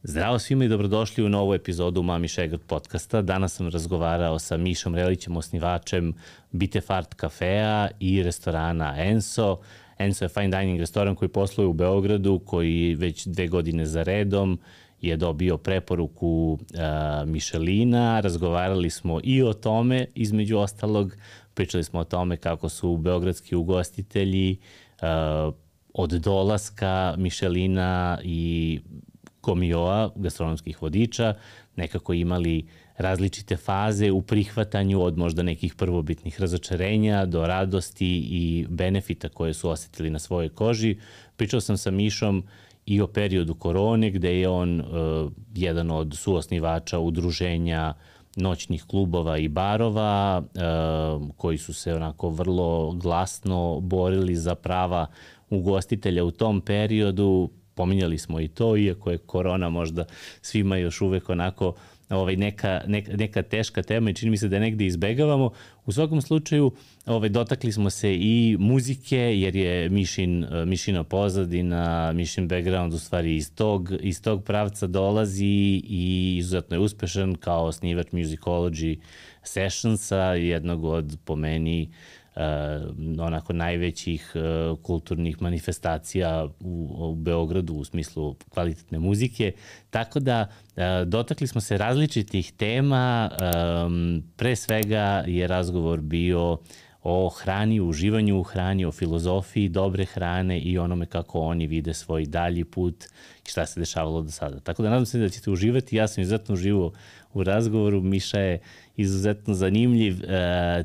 Zdravo svima i dobrodošli u novu epizodu Mami Šegrt podcasta. Danas sam razgovarao sa Mišom Relićem, osnivačem Bitefart kafea i restorana Enso. Enso je fine dining restoran koji posluje u Beogradu, koji već 2 godine za redom je dobio preporuku Mišelina. Razgovarali smo i o tome, između ostalog. Pričali smo o tome kako su beogradski ugostitelji od dolaska Mišelina i Komioa, gastronomskih vodiča, nekako imali različite faze u prihvatanju od možda nekih prvobitnih razočarenja do radosti i benefita koje su osetili na svojoj koži. Pričao sam sa Mišom i o periodu korone, gde je on jedan od suosnivača udruženja noćnih klubova i barova, koji su se onako vrlo glasno borili za prava ugostitelja u tom periodu. Pominjali smo i to, iako je korona možda svima još uvek onako neka teška tema i čini mi se da je negde izbegavamo. U svakom slučaju dotakli smo se i muzike, jer je Mišina pozadina, Mišin background u stvari iz tog pravca dolazi i izuzetno je uspešan kao osnivač Musicology Sessionsa, jednog od, po meni, onako najvećih kulturnih manifestacija u Beogradu u smislu kvalitetne muzike. Tako da dotakli smo se različitih tema. Pre svega je razgovor bio o hrani, uživanju u hrani, o filozofiji dobre hrane i onome kako oni vide svoj dalji put i šta se dešavalo do sada. Tako da nadam se da ćete uživati. Ja sam izuzetno uživao u razgovoru. Miša je izuzetno zanimljiv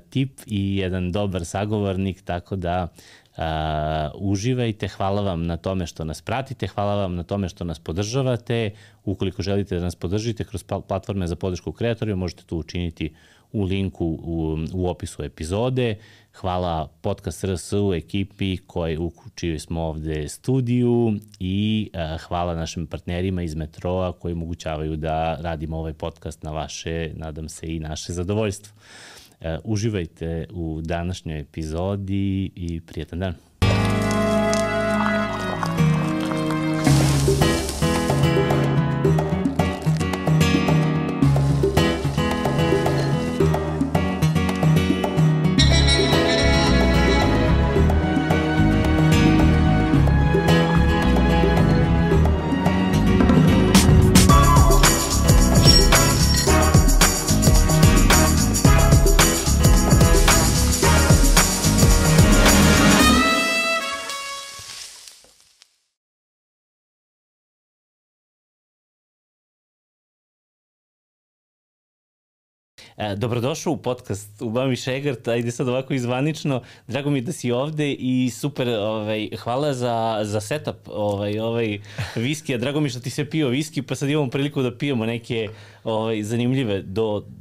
tip i jedan dobar sagovornik, tako da uživajte. Hvala vam na tome što nas pratite, hvala vam na tome što nas podržavate. Ukoliko želite da nas podržite kroz platforme za podršku kreatorima, možete to učiniti u linku u opisu epizode. Hvala Podcast RS-u, ekipi u čijoj smo ovde studiju i hvala našim partnerima iz Metroa koji omogućavaju da radimo ovaj podcast na vaše, nadam se, i naše zadovoljstvo. Uživajte u današnjoj epizodi i prijetan dan. Dobrodošao u podcast u Mami Šegrt, ajde sad ovako izvanično, drago mi da si ovde i super, hvala za setup viskija, drago mi što ti se pio viski, pa sad imamo priliku da pijemo neke zanimljive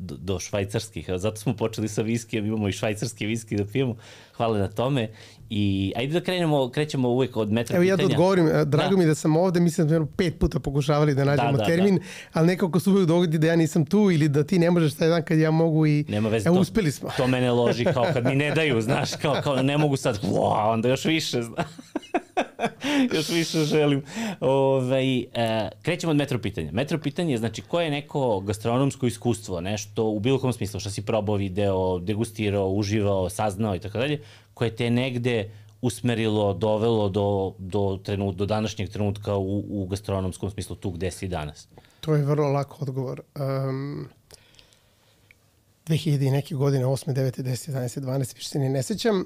do švajcarskih, zato smo počeli sa viskijem, imamo i švajcarski viski da pijemo, hvala na tome. I ajde da krećemo uvek od metra pitanja. Evo ja da odgovorim, drago mi da sam ovde, mislim da smo 5 puta pokušavali da nađemo termin, ali nekako se uvek dogodi da ja nisam tu ili da ti ne možeš taj dan kad ja mogu i uspeli smo. To mene loži kao kad mi ne daju, znaš, kao ne mogu sad, onda još više, znaš. Još više želim. Krećemo od metro pitanja. Metro pitanje je, znači, koje je neko gastronomsko iskustvo, nešto u bilo kom smislu, što si probao, video, degustirao, uživao, saznao i tako dalje, koje te negde usmerilo, dovelo do današnjeg trenutka u gastronomskom smislu, tu gde si danas? To je vrlo lako odgovor. 2000 i neke godine, 8, 9, 10, 11, 12, više se ne sećam,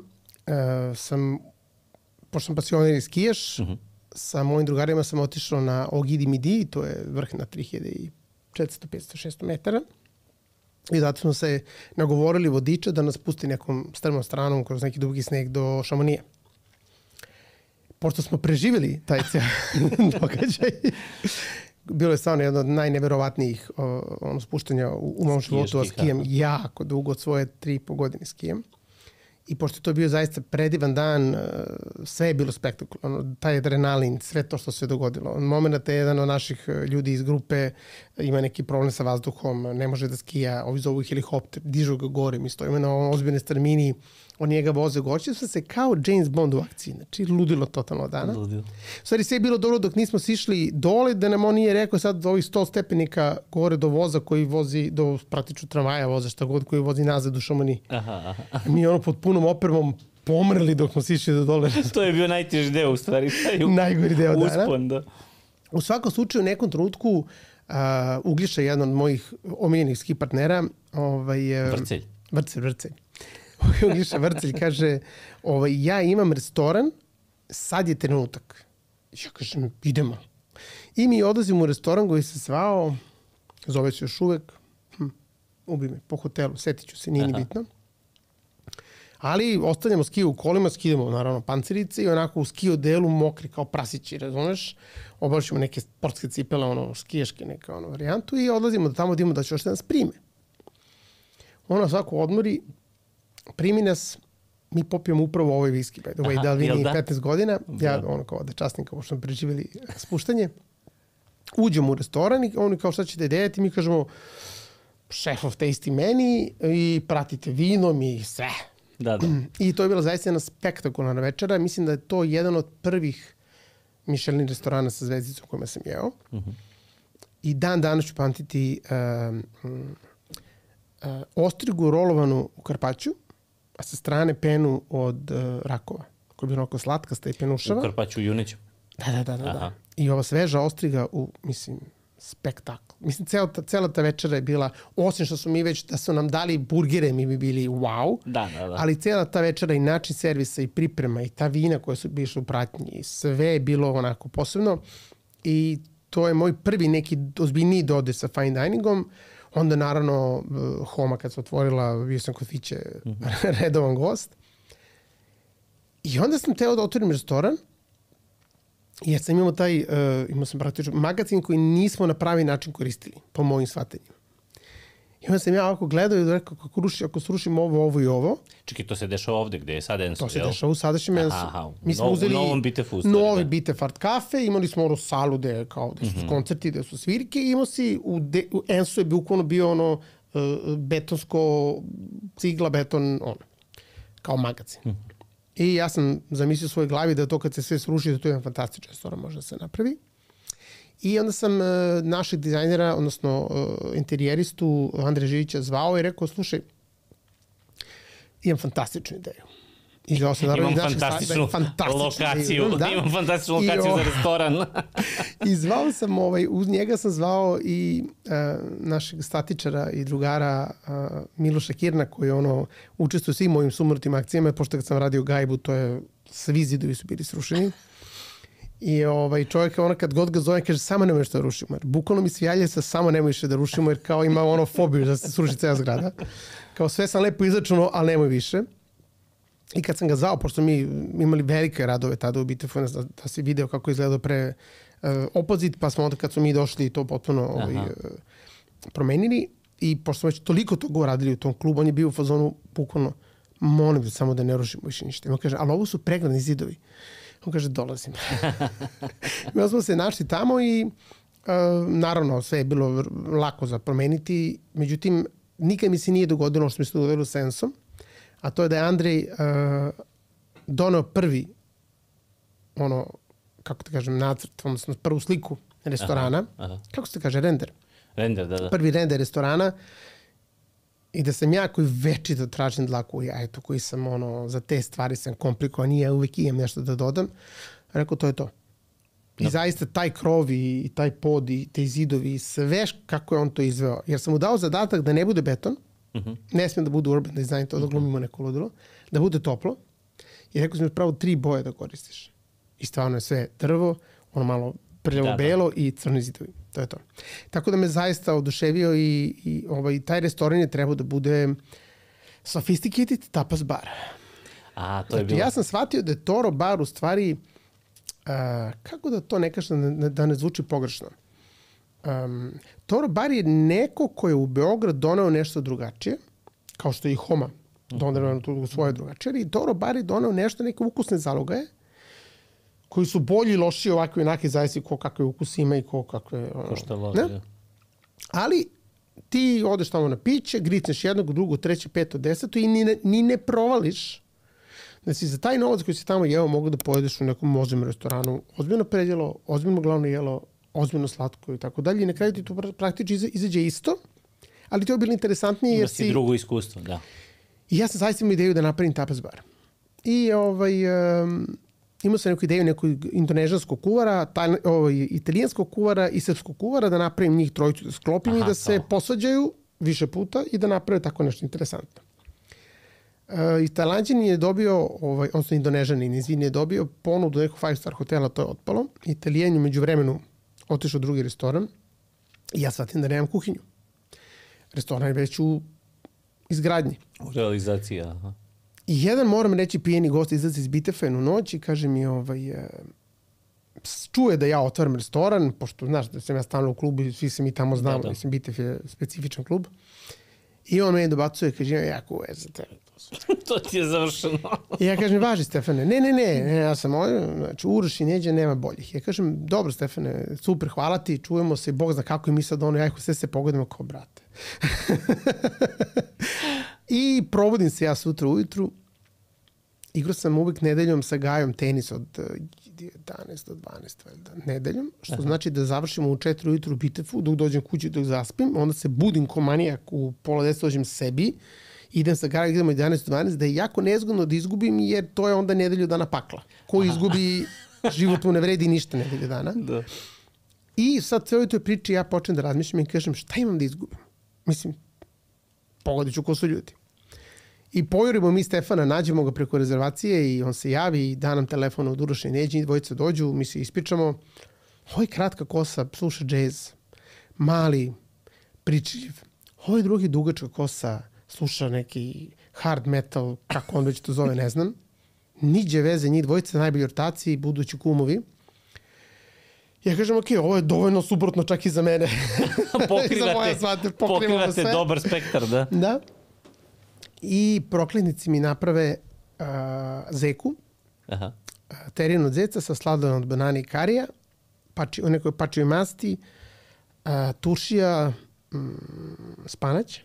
pošto sam pasionir i skijaš, sa mojim drugarima sam otišao na Ogidi Midi, to je vrh na 3400, 500, 600 metara. I zato smo se nagovorili vodiča da nas pusti nekom strmom stranom kroz neki dugi sneg do Šamonije. Pošto smo preživjeli taj događaj, bilo je stvarno jedno od najneverovatnijih spuštanja u mom životu, a skijem jako dugo, od svoje 3,5 godine skijem. I pošto je to bio zaista predivan dan, sve je bilo spektakularno, taj adrenalin, sve to što se dogodilo. Od momenta je jedan od naših ljudi iz grupe ima neki problem sa vazduhom, ne može da skija, ovi zovu helikopter, dižu ga gore, mi stojimo na ozbiljnoj strmini, on njega voze gore, se kao James Bond u akciji, znači ludilo totalno dana. Ludilo. U stvari sve je bilo dobro dok nismo sišli dole, da nam on nije rekao sad ovih 100 stepenika gore do voza koji vozi, do praktično tramvaja voza, šta god, koji vozi nazad u Šamoni. Mi ono pod punom opremom pomrli dok smo sišli do dole. To je bio najteži deo u stvari. Najgori deo dana. Uspon, da. U svakom slučaju, u nekom trenutku Uglješa, jedan od mojih omiljenih ski partnera, Vrcelj. Uglješa Vrcelj kaže, ja imam restoran, sad je trenutak. Ja kažem, idemo. I mi odlazimo u restoran koji se zvao, zove se još uvek, ubi me, po hotelu, setit ću se, nije ni bitno. Ali ostavljamo ski u kolima, skidamo naravno pancirice i onako u ski odelu mokri kao prasići, razumeš? Oblačimo neke sportske cipele, ono, skijaške neka varijantu i odlazimo do tamo da imamo da će još da nas prime. Ona svako odmori, primi nas, mi popijemo upravo ovaj viski, by the way, da li vi nije 15 godina, ja ono kao da časnim kao što smo preživjeli spuštanje. Uđemo u restoran i oni kao šta ćete dejati, mi kažemo chef of tasty menu i pratite vinom i sve. Da. I to je bila zaista jedna spektakularna večera. Mislim da je to jedan od prvih Michelin restorana sa zvezdicom kojima sam jeo. I dan danas ću pamtiti ostrigu rolovanu u karpaću, a sa strane penu od rakova, koja je bila onako slatkasta i penušava. U karpaću juneću. Da. I ova sveža ostriga u, mislim, spektakl. Mislim, cela ta večera je bila, osim što su mi već, da su nam dali burgere, mi bi bili wow. Da. Ali cela ta večera i način servisa i priprema i ta vina koja su bišla u pratnji, sve je bilo onako posebno. I to je moj prvi neki ozbiljniji dodir sa fine diningom. Onda naravno Homa kad se otvorila, bio sam kod Fiće redovan gost. I onda sam teo da otvorim restoran. Jer sam imao sam praktično magazin koji nismo na pravi način koristili, po mojim shvatanjima. I onda sam ja ovako gledao i rekao, ako srušim ovo i ovo. Čekaj, to se dešava ovde, gde je sad Enso, to se dešava u sadašnjem Ensu. Mi smo uzeli novom Bitefu. Novi Bitefart kafe, imali smo salu gde su koncerti, gde su svirke i imao si, u Ensu je bukvalno bio ono betonsko, cigla, beton, kao magazin. I ja sam zamislio u svojoj glavi da to kad se sve sruši, da to je jedan fantastičan restoran, može da se napravi. I onda sam našeg dizajnera, odnosno interijeristu Andreja Živića zvao i rekao, slušaj, imam fantastičnu ideju. Imam fantastičnu lokaciju. Imam fantastičnu lokaciju za restoran. I zvao sam, uz njega sam zvao i našeg statičara i drugara Miloša Kirna, koji učestvuje u svim mojim sumortim akcijama, pošto kad sam radio Gajbu, to je, svi zidovi su bili srušeni. I čovjek kad god ga zove, kaže, samo nemoj što da rušimo. Jer bukvalno mi svijalje sa samo nemoj što da rušimo, jer kao ima fobiju da se sruši cela zgrada. Kao sve sam lepo izračunao, ali nemoj više. I kad sam ga zvao, pošto mi imali velike radove tada u Bitefu, da se video kako izgledao pre opozit, pa smo onda kad smo mi došli to potpuno promenili. I pošto smo već toliko toga uradili u tom klubu, on je bio u fazonu bukvalno, molim te samo da ne rušimo više ništa. I on kaže, ali ovo su pregradni zidovi. On kaže, dolazim. Mi smo se našli tamo i naravno sve je bilo lako za promeniti. Međutim, nikad mi se nije dogodilo što mi se dogodilo sa Ensom, a to je da je Andrej doneo prvi kako te kažem, nacrt, odnosno prvu sliku restorana. Kako se kaže, render? Render, da. Prvi render restorana. I da sam ja koji večito tražim dlaku u jajetu, koji sam za te stvari sam komplikovan i ja uvijek imam nešto da dodam. Rekao, to je to. I zaista taj krov i taj pod i te zidovi, sve kako je on to izveo. Jer sam mu dao zadatak da ne bude beton, ne smijem da bude urban design, to da glumimo neko ludilo, da bude toplo. I rekao sam mi pravo 3 boje da koristiš. I stvarno je sve drvo, malo prljavo-belo i crni zidovi. To je to. Tako da me zaista oduševio i taj restoran je trebao da bude sophisticated tapas bar. To je bilo. Ja sam shvatio da je Toro bar u stvari, kako da to ne kažem, da ne zvuči pogrešno. Toro bar je neko ko je u Beograd doneo nešto drugačije, kao što je i Homa doneo tu svoje drugačije. I Toro bar je doneo nešto, neke ukusne zalogaje, koji su bolji i lošiji ovakvi onaki, zavisi ko kakve ukus ima i ko kakve... Ko što loži, da. Ali ti odeš tamo na piće, gricneš jednog, drugog, treće, peto, deseto i ni ne provališ da si za taj novac koji si tamo jeo mogu da pojedeš u nekom ozbiljnom restoranu, ozbiljno predjelo, ozbiljno glavno jelo, ozbiljno slatko i tako dalje. I na kraju ti to praktično izađe isto, ali to je bilo interesantnije jer si... drugo iskustvo, da. I ja sam zaista imao ideju da napravim tapas bar. I imao sam neku ideju nekog indonežanskog kuvara, italijanskog kuvara i srpskog kuvara, da napravim njih trojicu, da sklopim i da se posvađaju više puta i da naprave tako nešto interesantno. Tajlanđanin je dobio, odnosno Indonežanin, je dobio ponudu nekog 5-star hotela, to je otpalo. Italijan je među vremenu otišao u drugi restoran i ja shvatim da nemam kuhinju. Restoran je već u izgradnji. U realizaciji, aha. I jedan, moram reći, pijeni gost izlazi iz Bitefa jednu noć i kaže mi, čuje da ja otvaram restoran, pošto, znaš, da sam ja stalno u klubu i svi se mi tamo znamo, da. Mislim, Bitef je specifičan klub. I on meni dobacuje, kaže, ja kuve za tebe. To ti je završeno. I ja kažem, važi Stefane, ne, ja sam znači Uroš i Neđe, nema boljih. Ja kažem, dobro Stefane, super, hvala ti, čujemo se, Bog zna kako i mi sad sve se pogodimo kao brate. I probudim se ja sutra ujutru, igrao sam uvijek nedeljom sa Gajom tenis od 11 do 12 nedeljom, što znači da završimo u 4 ujutru u Bitefu, dok dođem kući, dok zaspim, onda se budim ko manijak, u pola 10 dođem sebi, idem sa Gajom, idemo 11 do 12, da je jako nezgodno da izgubim, jer to je onda nedelju dana pakla. Ko izgubi, život mu ne vredi ništa nedelju dana. Da. I sad sve u toj priči ja počnem da razmišljam i kažem, šta imam da izgubim? Mislim, pogodit ću ko su ljudi. I pojurimo mi Stefana, nađemo ga preko rezervacije i on se javi i da nam telefon od Uroša i Neđe, dvojica dođu, mi se ispričamo. Ovo je kratka kosa, sluša džez, mali, pričljiv. Ovo je drugi dugačka kosa, sluša neki hard metal, kako on već to zove, ne znam. Niđe veze, njih dvojica, najbolji ortaci, budući kumovi. Ja kažem, ok, ovo je dovoljno suprotno čak i za mene. Pokrivate dobar spektar, da. Da. I prokletnici mi naprave zeku, terin od zeca sa sladolom od banane i karija, u nekoj pačivoj masti, turšija, spanać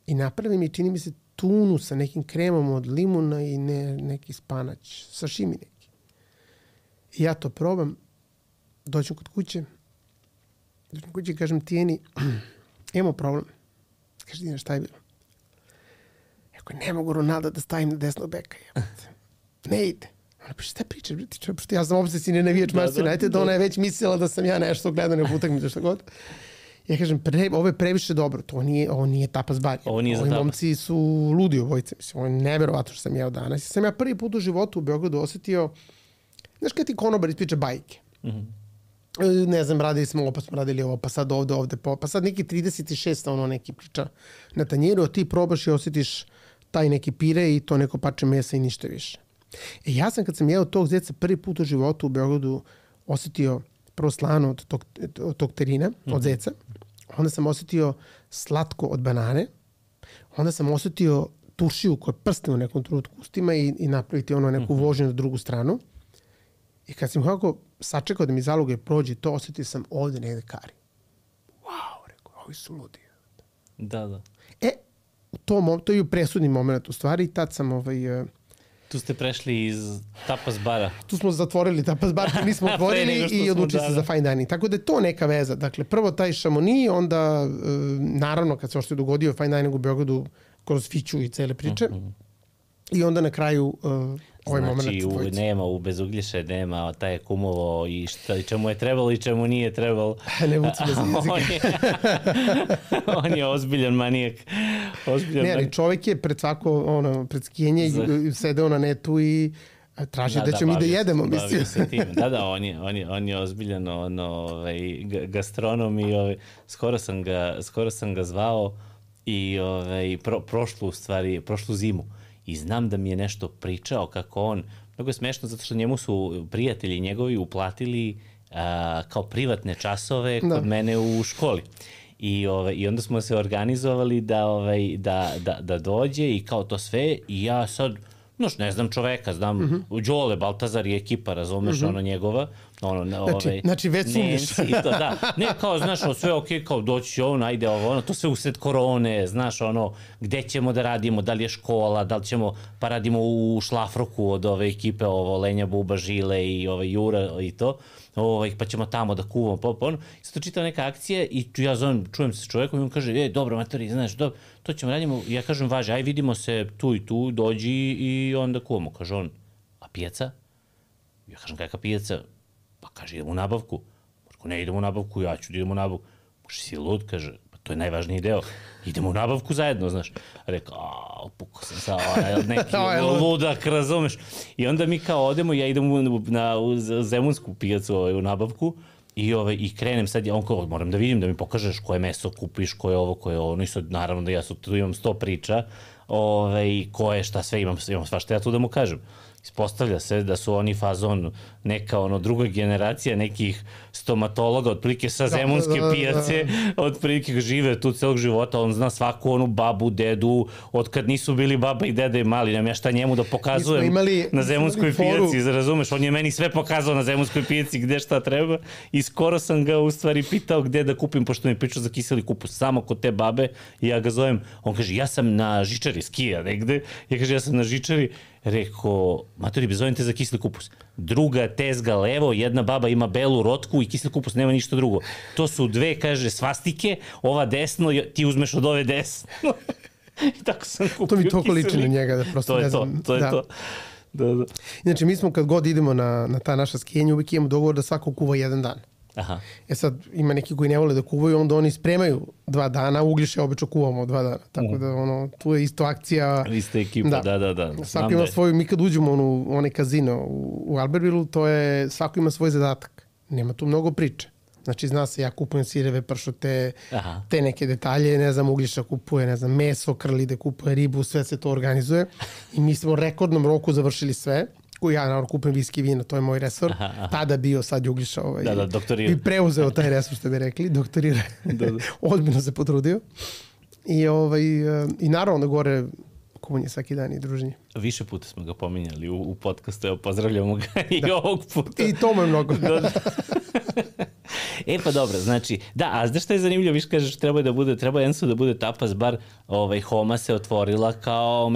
i napravi mi, čini mi se, tunu sa nekim kremom od limuna i neki spanać, sašimi neki. I ja to probam, dođem kod kuće i kažem Tijeni, imamo problem. Kaže, Tijena, šta je bilo? Ako ne mogu Ronalda da stavim na desnog beka. Ne ide. Ona piše, šta pričaš? Ja sam obsesivni navijač Manchester United, ona je već mislila da sam ja nešto gledao na utakmicu, što god. Ja kažem, ovo je previše dobro, ovo nije tapas bar. Ovi momci su ludi obojice. Mislim, ovo je neverovatno što sam jeo danas. Sam ja prvi put u životu u Beogradu osetio, znaš kada ti konobar ispriča bajke? Ne znam, radili smo ovo, pa smo radili ovo, pa sad ovde, pa sad neki 36, ono neki priča na tanjiru, a ti probaš i osjetiš taj neki pire i to neko pače mesa i ništa više. Ja sam kad sam jeo tog zeca prvi put u životu u Beogradu osjetio prvo slano od tog terina, od zeca, onda sam osjetio slatko od banane, onda sam osjetio turšiju koja prste u nekom trenutku ustima i napraviti ono neku vožnju na drugu stranu. I kad sam kako sačekao da mi zaloge prođe, to osjetio sam ovde negde kari. Wow, rekao, ovi su ludi. Da. To je u presudni moment u stvari i tad sam Tu ste prešli iz tapas bara. Tu smo zatvorili tapas bar, tu nismo otvorili i odlučili se za fine dining. Tako da je to neka veza. Dakle, prvo taj Chamonix, onda naravno kad se ošto je dogodio fine dining u Beogradu kroz Fiću i cele priče. I onda na kraju ovaj moment. Znači, nema u Bezugljiše, nema taj kumovo i čemu je trebalo i čemu nije trebalo. Ne vuci bez jezika. On je ozbiljan manijak. Ne, ali čovjek je pred svako, pred skijenje sedeo na netu i traži da ćemo mi da jedemo, mislim. Da, on je ozbiljan gastronom i skoro sam ga zvao i prošlu zimu. I znam da mi je nešto pričao kako on, mnogo je smešno zato što njemu su prijatelji njegovi uplatili kao privatne časove kod mene u školi. I onda smo se organizovali da dođe i kao to sve i ja sad, znaš, ne znam čoveka, znam Đole, Baltazar i ekipa, razumeš, ono njegova, znači već sumnjiš. Da, ne, kao, znaš, sve okej, kao doći ovo, najde ovo, to sve usred korone, znaš, gde ćemo da radimo, da li je škola, da li ćemo, pa radimo u Šlafroku od ove ekipe, Lenja Buba, Žile i Jura i to, pa ćemo tamo da kuvamo, i sad to čitao neka akcija i ja čujem se s čovekom i on kaže, dobro, matori, znaš, to ćemo radimo, ja kažem, važi, aj vidimo se tu i tu, dođi i onda kuvamo, kaže on, a pijaca? Ja kažem, kakva pijaca? Pa kaže, idemo u nabavku. Marko, ne idemo u nabavku, ja ću da idemo u nabavku. Može, si lud, kaže, pa to je najvažniji deo. Idemo u nabavku zajedno, znaš. Rekao, pukao sam sa neki ludak, razumeš. I onda mi kao odemo, ja idem na Zemunsku pijacu u nabavku i krenem sad, on kao, moram da vidim, da mi pokažeš koje meso kupiš, koje ovo, koje ono. I sad, naravno da ja tu imam 100 priča, koje, šta sve imam svašta ja tu da mu kažem. Ispostavlja se da su oni fazon neka druga generacija nekih stomatologa, otprilike sa Zemunske pijace, otprilike žive tu celog života, on zna svaku onu babu, dedu, od kad nisu bili baba i deda i mali, nemam ja šta njemu da pokazujem na Zemunskoj pijaci, razumeš, on je meni sve pokazao na Zemunskoj pijaci gde šta treba i skoro sam ga u stvari pitao gde da kupim, pošto mi pričao za kiseli kupus, samo kod te babe i ja ga zovem, on kaže, ja sam na žičari skija negde, ja kaže, ja sam na žičari. Rekao, matori, bezovim te za kiseli kupus. Druga tezga levo, jedna baba ima belu rotku i kiseli kupus nema ništa drugo. To su dve, kaže, svastike, ova desno, ti uzmeš od ove desno. I tako sam kupio kiseli. To mi toliko liči na njega da prosto ne znam. To je to. Da. Inače, mi smo kad god idemo na ta naša skijenja, uvijek imamo dogovor da svako kuva jedan dan. Aha. Sad, ima neki koji ne vole da kuvaju, onda oni spremaju 2 dana, Uglješe obično kuvamo 2 dana. Tako da, tu je isto akcija. Ista ekipa, da. Svako ima svoju, mi kad uđemo u onaj kazino u Albertvilleu, to je, svako ima svoj zadatak. Nema tu mnogo priče. Znači, zna se, ja kupujem sireve, pršute, te neke detalje, ne znam, Uglješa kupuje, ne znam, meso, Krlide kupuje ribu, sve se to organizuje. I mi smo u rekordnom roku završili sve. Ja naravno kupim viski i vino, to je moj resor. Tada bio, sad je Uglješa i preuzeo taj resor, što bi rekli, doktorira. Ozbiljno se potrudio. I naravno da gore kuvanje svaki dan i druženje. Više puta smo ga pominjali u podcastu, evo pozdravljamo ga i ovog puta. I to mu je mnogo. Pa dobro, znači, a znaš šta je zanimljivo, viš kažeš, treba Enso da bude tapas bar, Homa se otvorila kao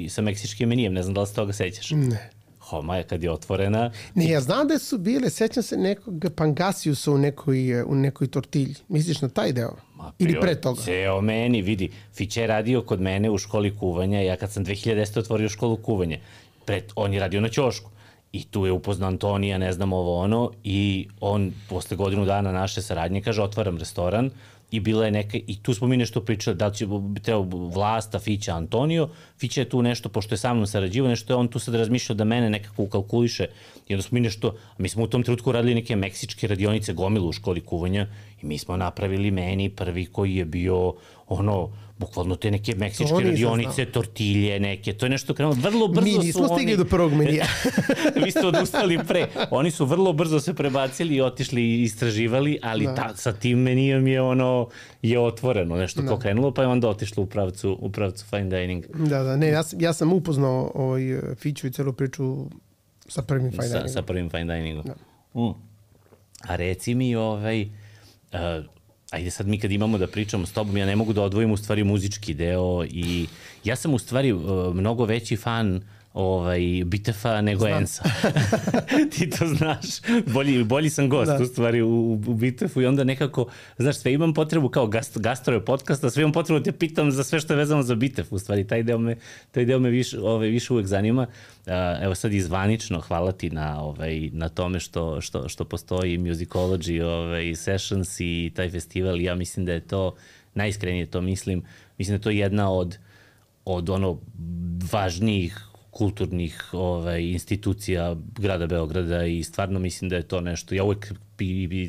sa meksičkim menijem, ne znam da li se toga sećaš. Ne. Homa je kad je otvorena. Ne, ja znam da su bile, sećam se nekog pangasiusa u nekoj tortilji. Misliš na taj deo? Ili pre toga? Ceo meni, vidi, Fiće je radio kod mene u školi kuvanja, ja kad sam 2010. otvorio školu kuvanja, on je radio na ćošku. I tu je upoznao Antonija, ne znam i on posle godinu dana naše saradnje kaže, otvaram restoran i bila je neka, i tu smo mi nešto pričali, da li će trebao Vlasta, Fića, Antonio, Fića je tu nešto, pošto je sa mnom sarađivo, nešto je on tu sad razmišljao da mene nekako ukalkuliše i onda smo mi smo u tom trenutku radili neke meksičke radionice gomilu u školi kuvanja i mi smo napravili meni prvi koji je bio bukvalno te neke meksičke radionice, tortilje neke, to je nešto krenulo, vrlo brzo su oni... Mi nismo stigli do prvog menija. Vi ste odustali pre. Oni su vrlo brzo se prebacili i otišli i istraživali, ali sa tim menijom je otvoreno, nešto kao krenulo, pa je onda otišlo u pravcu fine dining. Da, ne, ja sam upoznao Fiću i celu priču sa prvim fine diningom. Sa prvim fine diningom. A reci mi, ajde sad mi kad imamo da pričamo s tobom, ja ne mogu da odvojim u stvari muzički deo i ja sam u stvari mnogo veći fan Bitefa nego Ensa. Ti to znaš. Bolji sam gost u stvari u Bitefu i onda nekako, znaš, sve imam potrebu kao gastrove podcasta, sve imam potrebu da te pitam za sve što je vezano za Bitef. U stvari, taj deo me više uvek zanima. Evo sad izvanično, hvala ti na tome što postoji Musicology Sessions i taj festival. Ja mislim da je to, najiskrenije to mislim da je to jedna od važnijih kulturnih institucija grada Beograda i stvarno mislim da je to nešto. Ja uvek,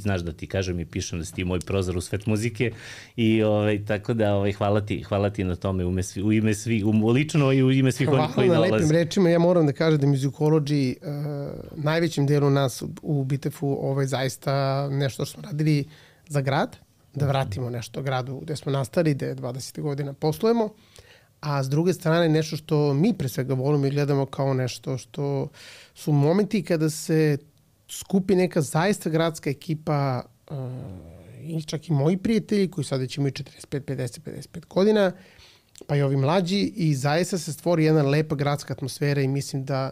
znaš da ti kažem i pišem da si ti moj prozor u svet muzike i tako da hvala ti na tome u ime svih, lično i u ime svih onih koji dolaze. Hvala na lepim rečima. Ja moram da kažem da Musicology najvećim delu nas u Bitefu zaista nešto što smo radili za grad, da vratimo nešto gradu gde smo nastali, gde 20 godina poslujemo, a s druge strane nešto što mi pre svega volimo i gledamo kao nešto što su momenti kada se skupi neka zaista gradska ekipa, i čak i moji prijatelji koji sada će imaju 45, 50, 55 godina, pa i ovi mlađi, i zaista se stvori jedna lepa gradska atmosfera i mislim da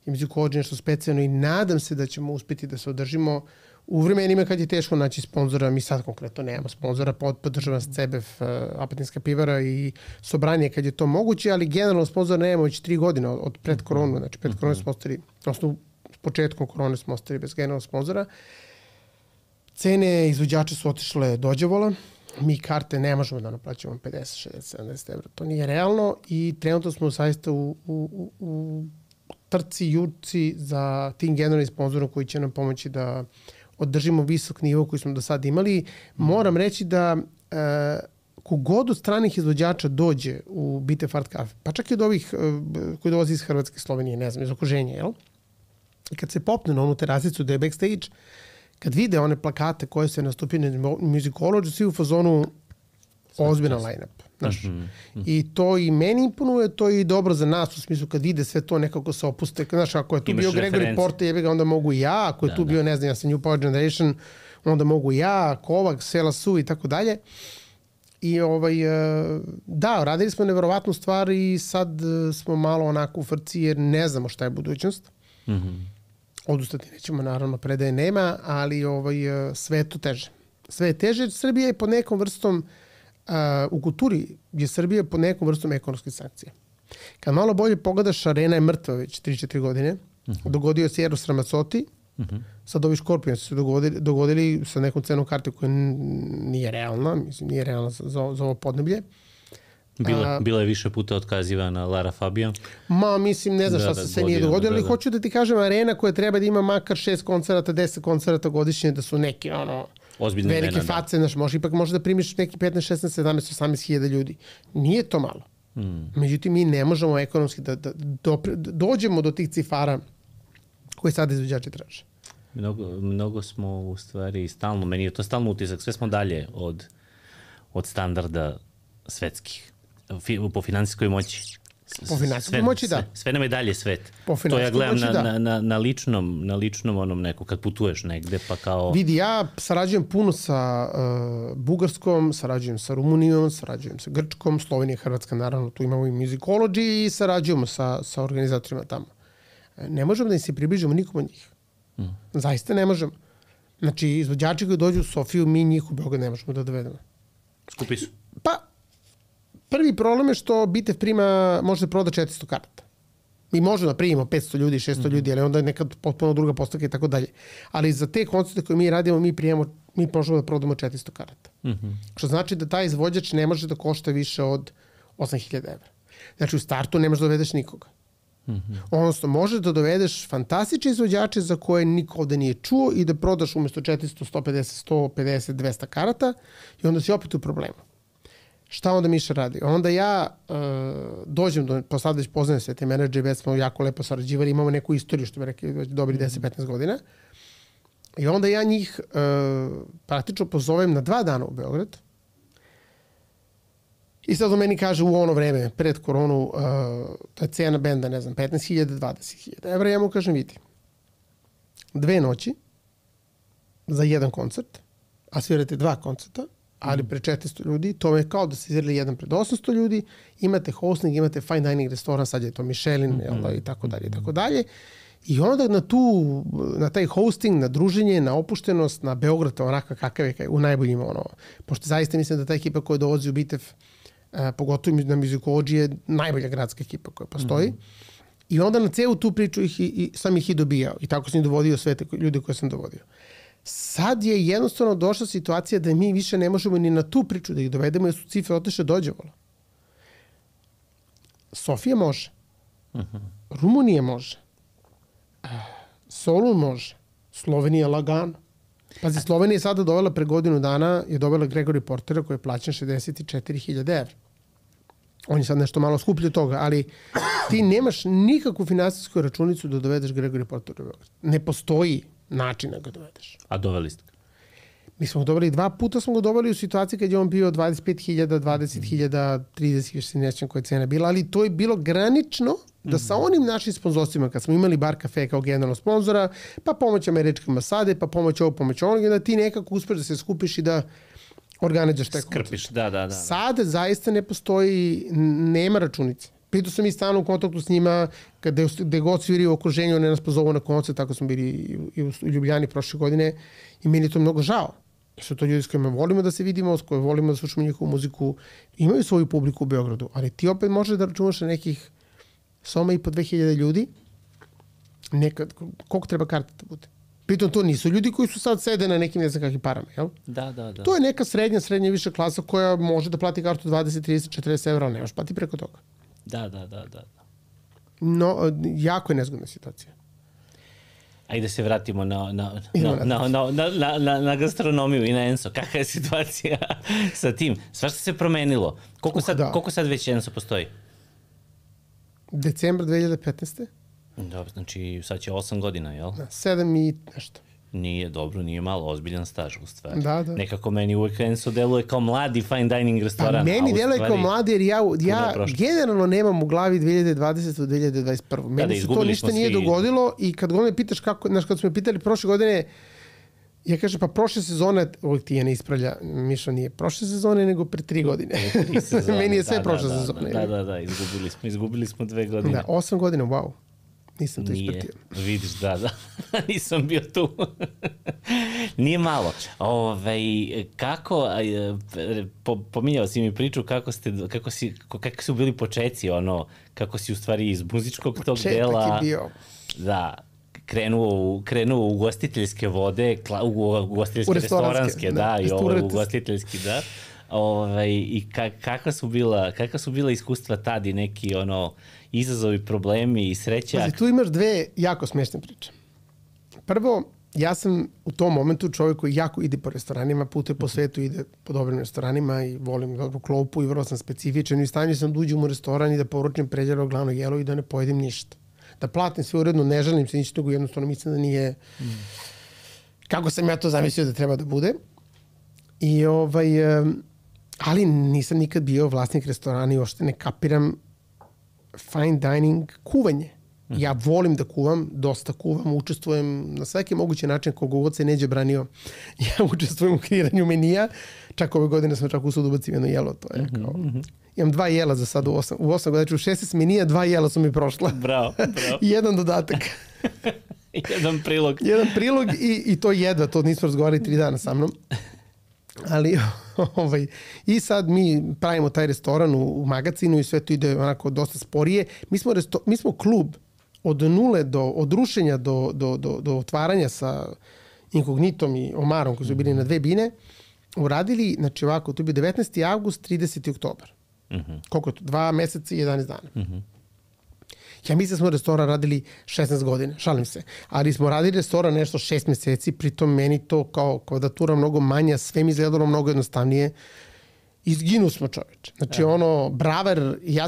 je Musicology nešto specijalno i nadam se da ćemo uspeti da se održimo u vremenima kad je teško naći sponzora. Mi sad konkretno nemamo sponzora, podržava CBF, Apatinska pivara i Sobranje kad je to moguće, ali generalno sponzora nemamo već 3 godine od pred koronu, znači pred koronu smo ostali, odnosno s početkom korone smo ostali bez generalnog sponzora. Cene izvođača su otišle dođavola, mi karte ne možemo da naplaćamo 50, 60, 70 evra, to nije realno i trenutno smo zaista u trci, jurci za tim generalnim sponzorom koji će nam pomoći da održimo visok nivo koji smo do sada imali. Moram reći da kogod od stranih izvođača dođe u Bite Fart Cafe, pa čak i od ovih koji dolazi iz Hrvatske, Slovenije, ne znam, iz okruženja, jel? I kad se popne na onu terasicu gde je backstage, kad vide one plakate koje se nastupio na Musicology, svi u fazonu ozbiljan line-up. Znaš. I to i meni imponuje, to je i dobro za nas u smislu kad vide sve to nekako se opuste. Znaš, ako je tu bio Gregory Porter, onda mogu i ja. Ako je tu bio, ne znam, ja sam New Power Generation, onda mogu i ja, Kovac, Sela Su i tako dalje. I da, radili smo neverovatnu stvar i sad smo malo onako u frci jer ne znamo šta je budućnost. Odustati nećemo, naravno, predaje nema, ali sve je to teže. Sve je teže. Srbija je pod nekom vrstom, u kulturi je Srbija pod nekom vrstom ekonomskih sankcija. Kad malo bolje pogledaš, Arena je mrtva već 3-4 godine. Dogodio se Eros Ramazzotti, sad ovi Scorpions su dogodili sa nekom cenom karte koja nije realna, mislim, nije realna za ovo podneblje. Bila je više puta otkazivana Lara Fabian. Mislim, ne znam šta se sve nije dogodilo, ali hoću da ti kažem, Arena koja treba da ima makar 6 koncerata, 10 koncerata godišnje, da su neki ozbiljne velike face, znaš, ipak može da primiš neki 15, 16, 17, 18 hiljada ljudi. Nije to malo. Međutim, mi ne možemo ekonomski da dođemo do tih cifara koje sada izvođači traže. Mnogo smo u stvari stalno, meni je to stalno utisak, sve smo dalje od standarda svetskih. Po finansijskoj moći. Po finansijskoj moći, da. Sve nam je dalje svet. To ja gledam na ličnom onom neku, kad putuješ negde, pa kao... Vidi, ja sarađujem puno sa Bugarskom, sarađujem sa Rumunijom, sarađujem sa Grčkom, Slovenija, Hrvatska, naravno, tu imamo i Musicology i sarađujemo sa organizatorima tamo. Ne možemo da im se približimo nikom od njih. Zaista ne možemo. Znači, izvođači koji dođu u Sofiju, mi njih u Beograd ne možemo da dovedemo. Skupi su. Pa, prvi problem je što Bitev može da proda 400 karata. Mi možemo da primimo 500 ljudi, 600 ljudi, ali onda je nekad potpuno druga postavka i tako dalje. Ali za te koncerte koje mi radimo, mi možemo da prodamo 400 karata. Što znači da taj izvođač ne može da košta više od 8.000 evra. Znači u startu ne možeš da dovedeš nikoga. Odnosno, možeš da dovedeš fantastične izvođače za koje niko ovde nije čuo i da prodaš umesto 400, 150, 150, 200 karata i onda si opet u problemu. Šta onda Miša radi? Onda ja dođem pa sad već poznajem sve te menadžere, već smo jako lepo sarađivali, imamo neku istoriju, što bi rekli, već dobri 10-15 godina. I onda ja njih praktično pozovem na 2 dana u Beograd. I sad on meni kaže u ono vreme, pred koronu, ta je cena benda, ne znam, 15.000, 20.000 evra. Ja mu kažem, vidi, 2 noći za 1 koncert, a svirate 2 koncerta, ali pre 400 ljudi, to je kao da ste izvirali jedan pred 800 ljudi, imate hosting, imate fine dining restoran, sad je to Michelin, i tako dalje, i tako dalje. I onda na taj hosting, na druženje, na opuštenost, na Beograd, onaka kakav je u najboljima, pošto zaista mislim da ta ekipa koja dolazi u Bitev, pogotovo na Musicology, je najbolja gradska ekipa koja postoji. I onda na celu tu priču sam ih i dobijao. I tako sam i dovodio sve te ljude koje sam dovodio. Sad je jednostavno došla situacija da mi više ne možemo ni na tu priču da ih dovedemo jer su cifre otišle dođevola. Sofija može. Rumunija može. Solun može. Slovenija lagano. Pazi, Slovenija je sada dovela pre godinu dana, je dovela Gregory Portera koji je plaćen 64.000 evra. On je sad nešto malo skuplji od toga, ali ti nemaš nikakvu finansijsku računicu da dovedeš Gregory Portera u Beograd. Ne postoji način da ga dovedeš. A doveli ste ga? Mi smo ga dobili 2 puta, smo ga dobili u situaciji kad je on bio 25.000, 20.000, 30.000, se nećem koja je cena bila, ali to je bilo granično da sa onim našim sponzorstvima, kad smo imali Bar Cafe kao generalnog sponzora, pa pomoć Američke ambasade, pa pomoć ovo, pomoć onog, da ti nekako uspeš da se skupiš i da organizuješ taj koncert. Skrpiš, da. Sad zaista ne postoji, nema računice. Pritom sam i stalno u kontaktu s njima, gde god sviri u okruženju, one nas pozovu na koncert, tako smo bili i u Ljubljani prošle godine i meni je to mnogo žao. Su to ljudi s kojima volimo da se vidimo, s kojima volimo da slušamo njihovu muziku, imaju svoju publiku u Beogradu, ali ti opet možeš da računaš na nekih soma i po 2000 ljudi, nekad, koliko treba karta da bude? Pritom to nisu ljudi koji su sad sede na nekim ne znam kakvim parama, jel? Da. To je neka srednja viša klasa koja može da plati kartu 20, 30, 40 evra, ali nemaš plati preko toga. Da. No, jako je nezgodna situacija. Ajde da se vratimo na gastronomiju i na Enso. Kakva je situacija sa tim? Svašta se promenilo. Koliko sad već Enso postoji? Decembar 2015. Dobro, znači sad će 8 godina, jel? Da, 7 i nešto. Nije dobro, nije malo, ozbiljan staž u stvari. Da. Nekako meni uvek Enso deluje kao mladi fine dining restoran. Pa meni deluje kao mladi jer ja generalno nemam u glavi 2020. do 2021. Meni se to ništa nije dogodilo i kad god me pitaš kako, znaš, kad smo me pitali prošle godine, ja kažem, pa prošle sezone, uvijek ti je ne ispravlja, Mišo nije prošle sezone, nego pre 3 godine. Meni je sve prošle sezone. Da, izgubili smo 2 godine. Da, 8 godina, wow. Nisam to ispratio. Vidiš, da. Nisam bio tu. Nije malo. Kako, pominjao si mi priču kako su bili počeci, kako si u stvari iz muzičkog tog dela... Početak je bio... Da, krenuo u ugostiteljske vode, ugostiteljske restoranske, da, i ovo ugostiteljski, da. I kakva su bila iskustva tad i neki izazovi, problemi i sreća? Pazi, tu imaš 2 jako smešne priče. Prvo, ja sam u tom momentu čovjek koji jako ide po restoranima, putuje po svetu, ide po dobrim restoranima i volim dobru klopu i vrlo sam specifičan i u stanju sam da uđem u restoran i da poručim pređero glavno jelo i da ne pojedem ništa. Da platim sve uredno, ne želim se ništa, nego jednostavno mislim da nije kako sam ja to zamislio da treba da bude. I ali nisam nikad bio vlasnik restorana i ošte ne kapiram fine dining kuvanje. Ja volim da kuvam, dosta kuvam, učestvujem na svaki mogući način, koliko god se Neđe branio. Ja učestvujem u kreiranju menija, čak ove godine sam čak usud ubacim jedno jelo, to je kao... Imam 2 jela za sad u 8 godina, znači u 16 menija 2 jela su mi prošla. Bravo. I 1 dodatak. Jedan prilog. Jedan prilog i to jedva, to nismo razgovarali 3 dana sa mnom. Ali, i sad mi pravimo taj restoran u magazinu i sve to ide onako dosta sporije. Mi smo klub od nule, od rušenja do otvaranja sa Inkognitom i Omarom koji su bili na 2 bine, uradili, znači ovako, to je bio 19. avgust, 30. oktobar. Koliko je to? 2 meseca i 11 dana. Ja mislim da smo restoran radili 16 godina, šalim se. Ali smo radili restoran nešto 6 meseci, pritom meni to kao kvadratura mnogo manja, sve mi izgledalo mnogo jednostavnije. Izginu smo, čoveče. Znači Braver, ja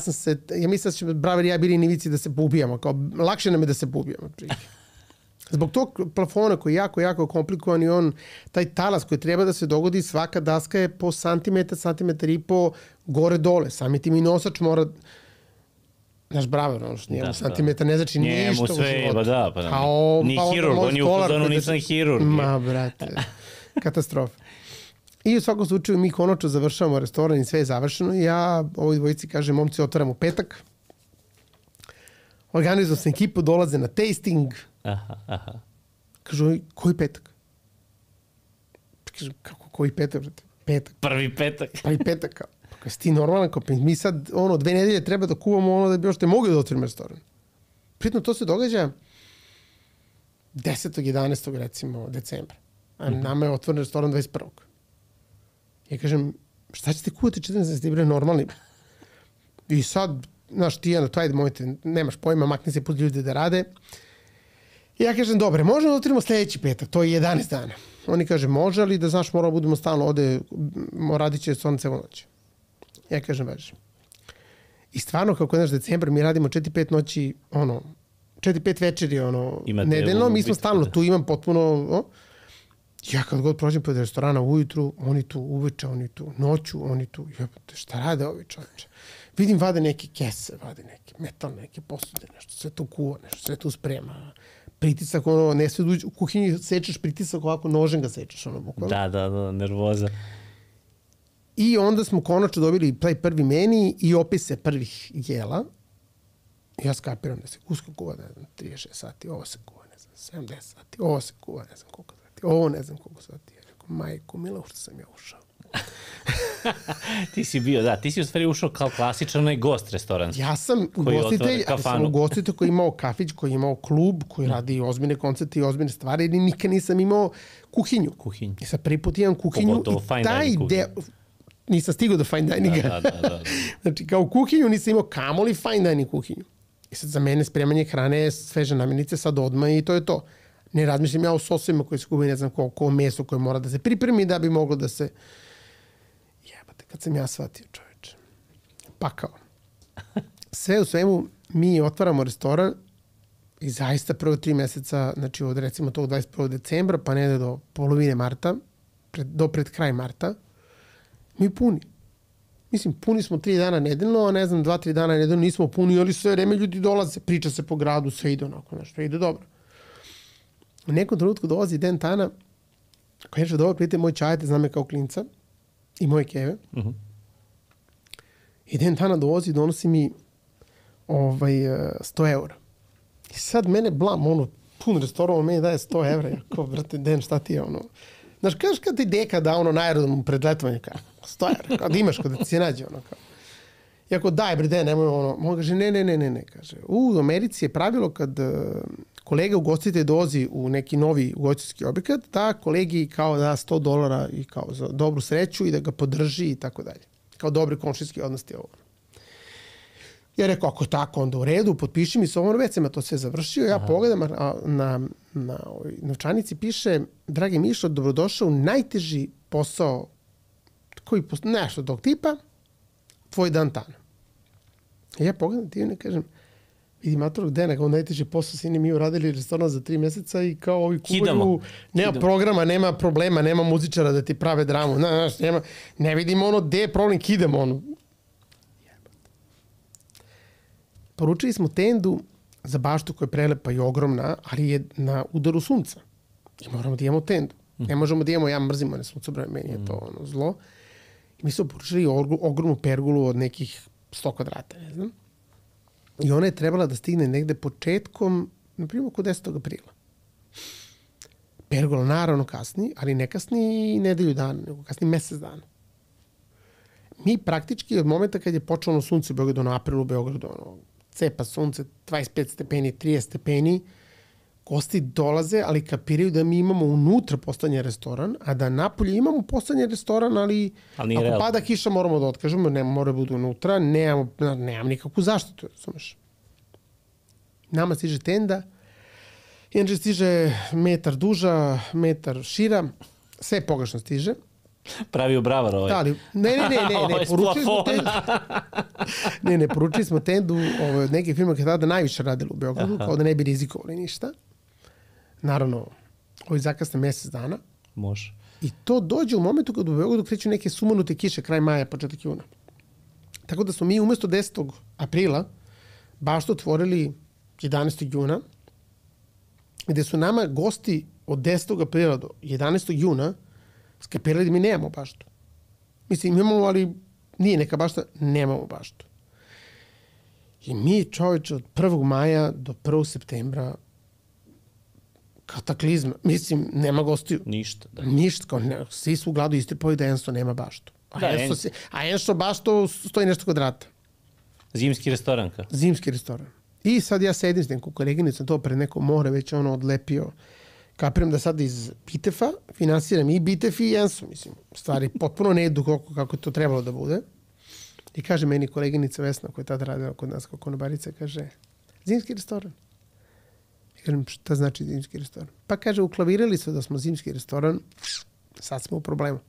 mislim da će Braver i ja bili nivici da se poubijamo, kao lakše nam je da se poubijamo. Zbog tog plafona koji je jako, jako komplikovan i taj talas koji treba da se dogodi, svaka daska je po santimetar i po gore-dole. Sami ti mi nosač mora... Naš Braver, što nije santimetar, ne znači ništa u životu. Ni hirurg, on je u fazonu, nisam hirurg. Ma, brate, katastrofa. I u svakom slučaju mi konačno završavamo restoran i sve je završeno i ja ovoj dvojici kažem, momci, otvaram u petak. Organizujem sam ekipu, dolaze na tasting. Kažu, koji petak? Kažem, kako, koji petak, brate? Petak. Prvi petak. Prvi petak, kao. Kada si ti normalan, kao, mi sad 2 nedelje treba da kuvamo da bi još te mogli da otvorimo restoran. Pritom to se događa 10. 11. recimo decembra. A nama je otvoren restoran 21. Ja kažem, šta ćete kuvati 14. bre, normalni? I sad, znaš, ti ajde, mojte, nemaš pojma, makni se put ljudi da rade. I ja kažem, dobre, možemo da otvorimo sljedeći petak, to je 11 dana. Oni kaže, može, ali da znaš, moramo budemo stalno ovde, radit će restoran celu noć. Ja kažem, važi. I stvarno, kako je naš decembar, mi radimo 4-5 noći, 4-5 večeri, nedeljno, mi smo stalno tu, imam potpuno, Ja kad god prođem pored restorana ujutru, oni tu uveče, oni tu noću, oni tu, jebate, šta rade ovi čoveče? Vidim, vade neke kese, vade neke metalne, neke posude, nešto, sve to kuva, nešto, sve to sprema. Pritisak, ono, ne sve u kuhinji sečeš pritisak, ovako nožem ga sečeš, ono, bukvalno. Da, nervoza. I onda smo konačno dobili taj prvi meni i opise prvih jela. Ja skapiram da se guska kuva, ne znam, 36 sati, ovo se kuva, ne znam, 70 sati, ovo se kuva, ne znam koliko sati, ovo ne znam koliko sati. Ja rekao, majko mila, što sam ja ušao. Ti si bio, ti si u stvari ušao kao klasičan onaj gost restoranski. Ja sam ugostitelj, ali sam ugostitelj koji je imao kafić, koji je imao klub, koji radi ozbiljne koncerte i ozbiljne stvari, ili nikad nisam imao kuhinju. I sad prvi put imam kuhinju. Pogotovo fine dining kuhinju. Nisam stigao do fine dininga. Da. Znači, kao kuhinju nisam imao kamoli fine dining kuhinju. I sad za mene spremanje hrane, sveže namirnice, sad odmah i to je to. Ne razmišljam ja o sosima koji se kubi, ne znam koliko meso koje mora da se pripremi da bi moglo da se... Jebate, kad sam ja shvatio, čoveče. Pakao. Sve u svemu, mi otvaramo restoran i zaista prvo 3 meseca, znači od recimo tog 21. decembra, pa ne do polovine marta, do pred kraj marta, mi puni. Mislim, puni smo 3 dana nedeljno, a ne znam, 2-3 dana nedeljno nismo puni, ali sve vreme ljudi dolaze, priča se po gradu, sve ide onako, nešto ide dobro. U nekom trenutku dolazi Den Tana, koji je dobro prijatelj moj čajete, zna me kao klinca, i moje keve. I Den Tana donosi mi 100 eura. I sad mene blam, pun restoran, meni daje 100 evra. Ja kao, brate, Den, šta ti je ono? Znaš, kažeš kad ti deka da na aerodromu pred letovanje, kao, 100 evra, kad imaš, kad ti se nađe, ono, kao. I ako daj, bre, Den, nemoj, ono, on kaže, ne, kaže, u Americi je pravilo kad kolega ugostitelj dolazi u neki novi ugostiteljski objekat, da kolegi kao da $100 i kao za dobru sreću i da ga podrži i tako dalje. Kao dobri komšijski odnosti ovo. Ja rekao, ako tako, onda u redu, potpiši mi se ovo, već sam ja to sve završio, ja pogledam, na novčanici piše, dragi Mišo, dobrodošao u najteži posao, nešto tog tipa, tvoj Dan Tana. I ja pogledam ti i ne kažem, vidi matorog Dena, kao najteži posao, sini mi uradili restoran za 3 meseca i kao ovi kuvaju, nema programa, nema problema, nema muzičara da ti prave dramu, ne vidimo gde je problem, kidamo Poručili smo tendu za baštu koja je prelepa i ogromna, ali je na udaru sunca. I moramo da imamo tendu. Ne možemo da imamo, ja mrzimo na suncobrane, meni je to zlo. I mi smo poručili ogromnu pergolu od nekih 100 kvadrata, ne znam. I ona je trebala da stigne negde početkom, na primjer, oko 10. aprila. Pergola naravno kasni, ali ne kasni nedelju dana, nego kasni mesec dana. Mi praktički od momenta kad je počelo sunce u Beogradu, aprilu u Beogradu, cepa sunce, 25 stepeni, 30 stepeni, gosti dolaze, ali kapiraju da mi imamo unutra postavljen restoran, a da napolje imamo postavljen restoran, ali ako pada kiša moramo da otkažemo, ne mora budu unutra, nemam nikakvu zaštitu, razumeš. Nama stiže tenda, inače stiže metar duža, metar šira, sve pogrešno stiže. Pravio bravar ovaj. Da, ali, ne, poručili smo tendu. Poručili smo tendu od neke firme koje tada najviše radili u Beogradu, kao da ne bi rizikovali ništa. Naravno, ovi zakasne mesec dana. Može. I to dođe u momentu kad u Beogradu kreću neke sumanute kiše, kraj maja, početak juna. Tako da smo mi umesto 10. aprila baš otvorili 11. juna, gde su nama gosti od 10. aprila do 11. juna skapirali da mi nemamo baštu. Mislim, imamo, ali nije neka bašta, nemamo baštu. I mi, čoveče, od 1. maja do 1. septembra kataklizma. Mislim, nema gostiju. Ništa. Da. Ništa. Kao, svi su u gladu istripali da Enso nema baštu. A Enso baštu stoji nešto kvadrata. Zimski restoran ka? Zimski restoran. I sad ja sedim s nekom koleginicom, to pred neko more već odlepio. Kapiram da sad iz Bitefa finansiram i Bitef i Enso. Mislim, stvari potpuno ne idu kako je to trebalo da bude. I kaže meni koleginica Vesna, koja je tada radila kod nas kao konobarica, kaže, zimski restoran. I kažem, šta znači zimski restoran? Pa kaže, uklavirali su da smo zimski restoran, sad smo u problemu.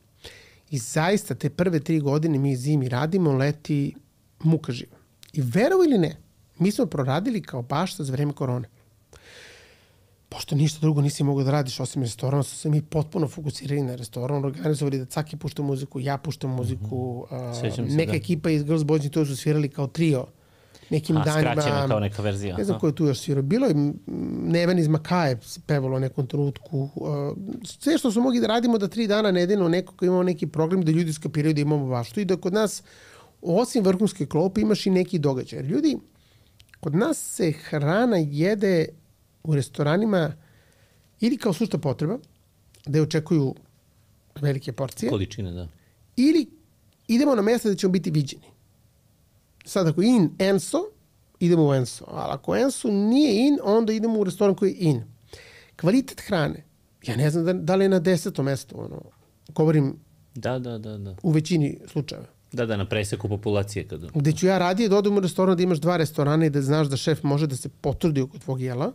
I zaista te prve 3 godine mi zimi radimo, leti muka živa. I verovo ili ne, mi smo proradili kao bašta za vreme korone. pošto ništa drugo nisi mogao da radiš osim restorana, su se mi potpuno fokusirali na restoran, organizovali da Caki pušta muziku, ja puštam muziku, neka ekipa iz Girls Boys to su svirali kao trio nekim danima. Skraćena kao neka verzija. Ne znam ko je tu još svirao. Bilo je Neven iz Makaje pevalo u nekom trenutku. Sve što smo mogli da radimo da 3 dana nedeljno neko ko imamo neki program da ljudi skapiraju da imamo baštu i da kod nas osim vrhunske klope imaš i neki događaj. Jer ljudi, kod nas se hrana jede u restoranima ili kao sušta potreba, da je očekuju velike porcije. Količine, da. Ili idemo na mjesto da ćemo biti viđeni. Sad ako je in Enso, idemo u Enso. Ali ako Enso nije in, onda idemo u restoran koji je in. Kvalitet hrane. Ja ne znam da li je na 10. mjestu. Govorim Da. u većini slučajeva. Da, na preseku populacije. Gde ću ja radije da odem u restoran da imaš 2 restorana i da znaš da šef može da se potrudi oko tvog jela,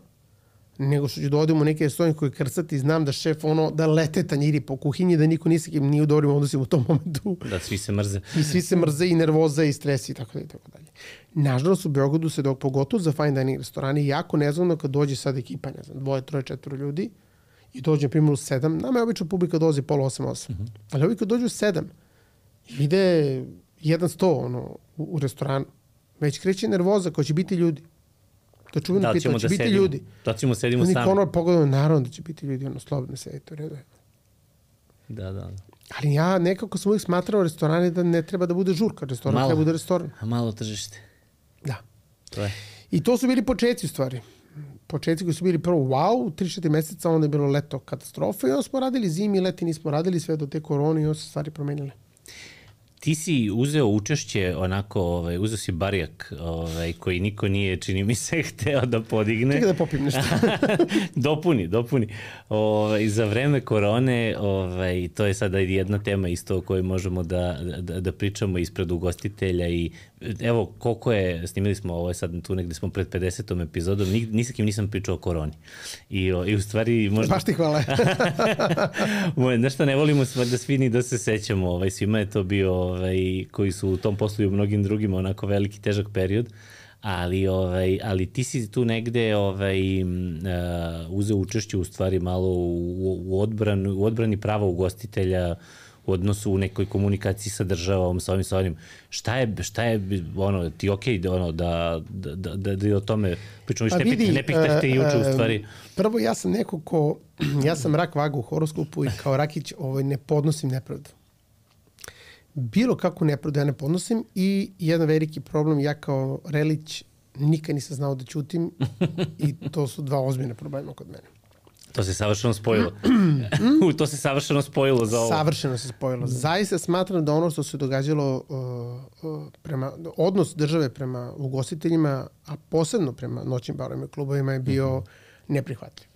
nego što ću da odem u neki restoran koji krcati i znam da šef da lete tanjiri po kuhinji, da niko nije u dobrim odnosima u tom momentu. Da, svi se mrze. I svi se mrze i nervoza i stres i tako dalje. Nažalost, u Beogradu se pogotovo za fine dining restorani jako nezgodno kad dođe sad ekipa, ne znam, 2, 3, 4 ljudi i dođe, na primjer, u 7. Nama je obično publika dolazi pola 8. Ali ovi kad dođu u 7 i vide 100 u restoranu, već kreće nervoza ko će biti ljudi. To čuveno pita, da će biti ljudi. Da ćemo sedimo sami. Niko pogledamo, naravno da će biti ljudi, slobodno sedite u redu. Da. Ali ja nekako sam uvijek smatrao restorane da ne treba da bude žurka. Restoran treba da bude restoran. A malo tržište. Da. To je. I to su bili početci u stvari. Početci koji su bili prvo wow, 3-4 meseca, onda je bilo leto katastrofa i onda smo radili zimi, leti nismo radili sve do te korone i onda se stvari promenile. Ti si uzeo učešće onako, uzeo si barijak koji niko nije, čini mi se, hteo da podigne. Čekaj da popim nešto. Dopuni. Za vreme korone, to je sada jedna tema isto o kojoj možemo da pričamo ispred ugostitelja i evo koliko je, snimili smo ovo sad tu negde smo pred 50. epizodom, ni sa kim nisam pričao o koroni. I u stvari možda... Baš ti hvala. Nešto ne volimo da svi ni da se sećamo, svima je to bio koji su u tom poslu i u mnogim drugima onako veliki težak period, ali ti si tu negde uzeo učešće u stvari malo u odbrani prava ugostitelja u odnosu u nekoj komunikaciji sa državom, sa ovim. Šta je ti okej da o tome pričamo, ne pitah te juče u stvari. Prvo, ja sam neko ja sam rak vaga u horoskopu i kao rakić ne podnosim nepravdu. Bilo kakvu nepravdu ja ne podnosim i jedan veliki problem, ja kao relić nikad nisam znao da ćutim i to su 2 ozbiljna problema kod mene. To se savršeno spojilo. To se savršeno spojilo za ovo. Savršeno se spojilo. Zaista smatram da ono što se događalo odnos države prema ugostiteljima, a posebno prema noćnim barovima i klubovima je bio neprihvatljiv.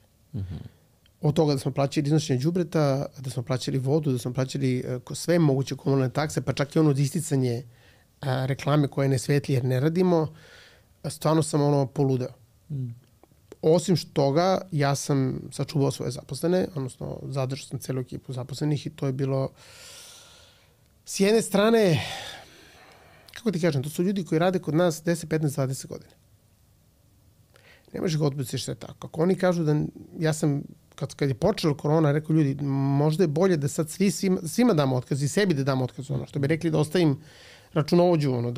Od toga da smo plaćali iznošenje đubreta, da smo plaćali vodu, da smo plaćali sve moguće komunalne takse, pa čak i ono isticanje reklame koje ne svetli jer ne radimo, stvarno sam poludeo. Osim toga, ja sam sačuvao svoje zaposlene, odnosno zadržao sam celu ekipu zaposlenih i to je bilo s jedne strane, kako ti kažem, to su ljudi koji rade kod nas 10, 15, 20 godina. Ne možeš ga odbiti što je tako. Ako oni kažu da ja sam, kad je počela korona, rekao ljudi, možda je bolje da sad svima damo otkaz i sebi da damo otkaz, što bi rekli da ostavim računovođu,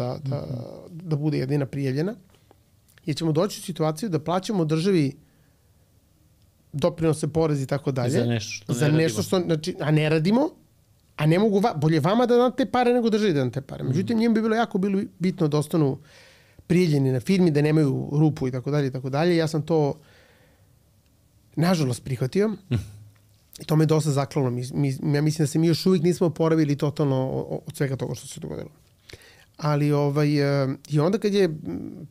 da bude jedina prijavljena. Jer ćemo doći u situaciju da plaćamo državi doprinose, porez i tako dalje. Za nešto što a ne radimo, a ne mogu, bolje vama da dam te pare nego državi da dam te pare. Međutim, njim bi bilo jako bitno da ostanu prijavljeni na firmi, da nemaju rupu i tako dalje i tako dalje. Ja sam to nažalost prihvatio i to me dosta zaklalo. Ja mislim da se mi još uvijek nismo oporavili totalno od svega toga što se dogodilo. Ali i onda kad je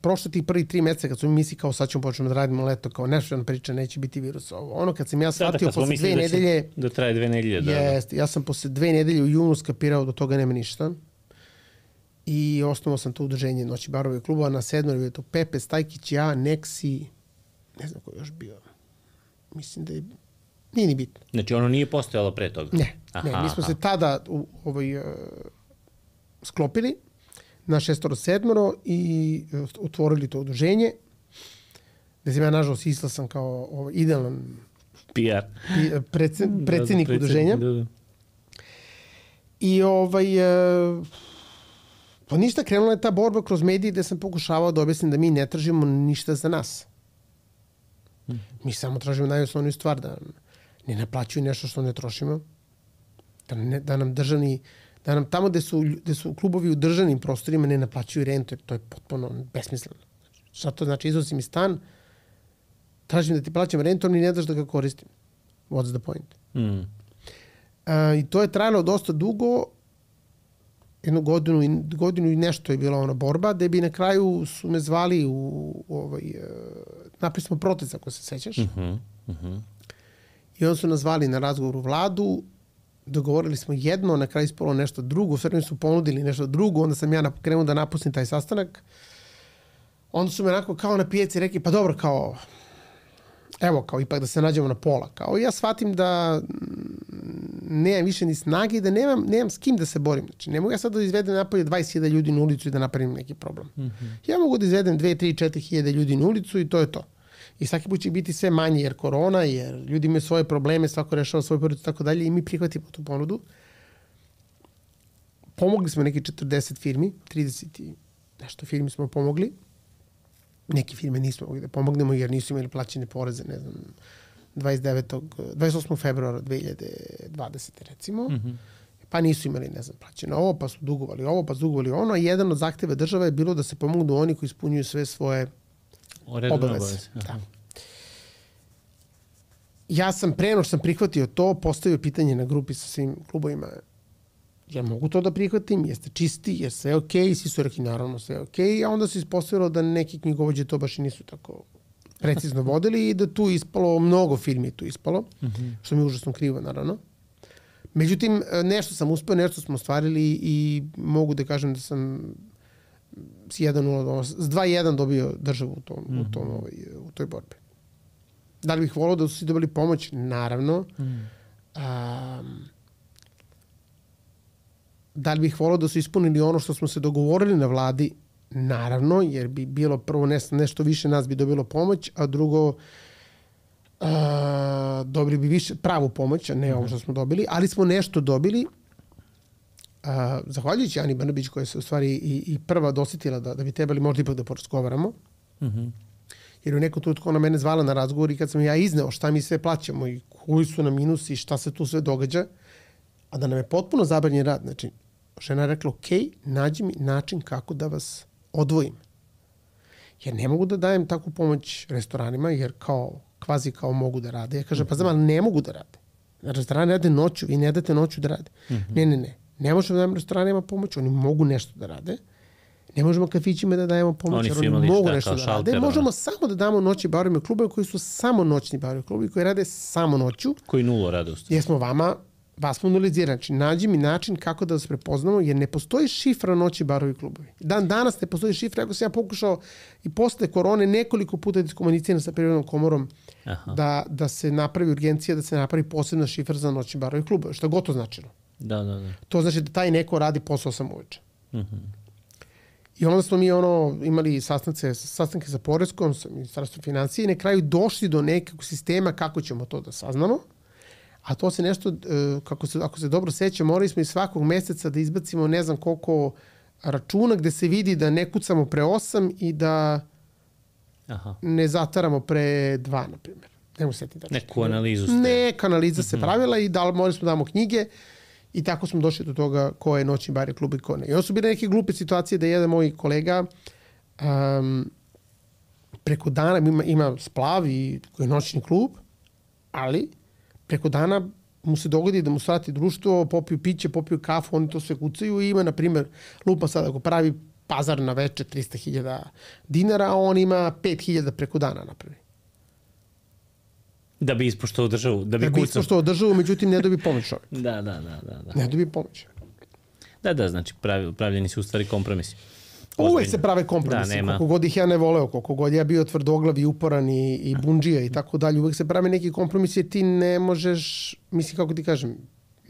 prošlo tih prvih 3 meseca, kad su mi misli kao sad ćemo početi da radimo leto, kao nešto priča, neće biti virus. Kad sam ja shvatio posle 2 nedelje... Da traje 2 nedelje, da. Jest, ja sam posle 2 nedelje u junu skapirao da toga nema ništa. I osnovao sam to udruženje noći barova i klubova. Na 7. je to Pepe, Stajkić, ja, Neksi, ne znam ko je još bio. Mislim da je... Nije ni bitno. Znači ono nije postojalo pre toga? Ne, mi smo se tada sklopili na 6-7 i otvorili to udruženje. gde sam ja nažalost islasan kao idealan PR. predsednik udruženja. I pa ništa, krenula je ta borba kroz medije gde sam pokušavao da objasnim da mi ne tražimo ništa za nas. Mi samo tražimo najosnovniju stvar, da ne naplaćuju nešto što ne trošimo, da nam tamo gde su klubovi u državnim prostorima ne naplaćuju rentu, jer to je potpuno besmisleno. Šta to znači? Iznosi mi stan, tražim da ti plaćam rentu, ali ne daš da ga koristim. What's the point? I to je trajalo dosta dugo, jednu godinu i nešto je bila ona borba, da bi na kraju su me zvali napravili smo protest, ako se sećaš. I onda su nas zvali na razgovor u vladu, dogovorili smo jedno, na kraju ispalo nešto drugo, sve mi su ponudili nešto drugo, onda sam ja krenuo da napustim taj sastanak. Onda su me onako kao na pijaci rekli, pa dobro, kao, evo, kao ipak da se nađemo na pola. Kao ja shvatim da nemam više ni snage i da nemam s kim da se borim. Znači, ne mogu ja sad da izvedem napolje 20.000 ljudi na ulicu i da napravim neki problem. Ja mogu da izvedem 2, 3, 4.000 ljudi na ulicu i to je to. I svaki put će biti sve manje jer korona, jer ljudi imaju svoje probleme, svako rešava svoje porodice i tako dalje i mi prihvatimo tu ponudu. Pomogli smo neki 40 firmi, 30 i nešto firmi smo pomogli. Neke firme nismo mogli da pomognemo jer nisu imali plaćene poreze, ne znam, 28. februara 2020. recimo. Pa nisu imali, ne znam, plaćeno ovo, pa su dugovali ovo, pa su dugovali ono. Jedan od zahteva države je bilo da se pomognu oni koji ispunjuju sve svoje obaveze. Da. Ja sam preno što sam prihvatio to, postavio pitanje na grupi sa svim klubovima, ja mogu to da prihvatim, jeste čisti, je sve okej, svi su rekli naravno sve okej, a onda se ispostavilo da neki knjigovođe to baš i nisu tako precizno vodili i da tu ispalo, mnogo firmi tu ispalo, što mi je užasno krivo naravno. Međutim, nešto sam uspeo, nešto smo ostvarili i mogu da kažem da sam s 2-1 dobio državu u toj borbi. Da li bih volao da su svi dobili pomoć? Naravno. Da li bih volao da su ispunili ono što smo se dogovorili na vladi? Naravno, jer bi bilo prvo nešto više nas bi dobilo pomoć, a drugo dobili bi više pravu pomoć, a ne ovo što smo dobili, ali smo nešto dobili. Zahvaljujući Ani Brnabić koja se u stvari i prva dosjetila da bi trebali možda ipak da porazgovaramo. Jer u nekom trenutku ona mene zvala na razgovor i kad sam ja izneo šta mi sve plaćamo i koji su nam minusi i šta se tu sve događa, a da nam je potpuno zabranjen rad. Znači, žena je rekla, ok, nađi mi način kako da vas odvojim. Jer ne mogu da dajem takvu pomoć restoranima, jer kvazi kao mogu da rade. Ja kažem, pa znam, ali ne mogu da rade. Restorani rade noću, vi ne date noću da rade. Ne. Ne možemo da dajem restoranima pomoć, oni mogu nešto da rade. Ne možemo kafićima da dajemo pomoć, jer oni mogu nešto da rade. Možemo samo da damo noći barovima i klubove koji su samo noćni barovi klubovi, koji rade samo noću. Koji nulo rade u stvari. Jer smo vas smo analizirani. Znači, nađi mi način kako da vas prepoznamo, jer ne postoji šifra noći barovi klubovi. Danas ne postoji šifra, ako sam ja pokušao i posle korone nekoliko puta da iskomuniciram sa Privrednom komorom da se napravi urgencija, da se napravi posebna šifra za noćni barovi klubovi. Šta god to značilo. Da. To znači da taj neko radi posao 8 uveče. I onda smo mi imali sastanke sa Poreskom, sa Ministarstvom financije i na kraju došli do nekog sistema kako ćemo to da saznamo. A to se nešto, ako se dobro seća, morali smo i svakog meseca da izbacimo ne znam koliko računa gde se vidi da ne kucamo pre 8 i da ne zataramo pre 2, na primjer. Nemo setiti da. Neku analizu ste. Neka analiza se pravila i morali smo damo knjige i tako smo došli do toga ko je noćni bar i klub i ko ne. I onda su bile neke glupe situacije da jedan moj kolega preko dana ima Splav i koji je noćni klub, ali preko dana mu se dogodi da mu svrati društvo, popiju piće, popiju kafu, oni to sve kucaju i ima, na primjer, lupa sad ako pravi pazar na veče 300.000 dinara, a on ima 5.000 preko dana napravi. Da bi ispoštovao državu, da bi ispoštovao državu, međutim ne dobi pomoć čovjek. Da. Ne dobi pomoć. Da, znači pravljeni su u stvari kompromisi. Uvek se prave kompromisi, koliko god ih ja ne voleo, koliko god ja bio tvrdoglav i uporan i bundžija i tako dalje, uvek se prave neki kompromisi jer ti ne možeš, mislim kako ti kažem,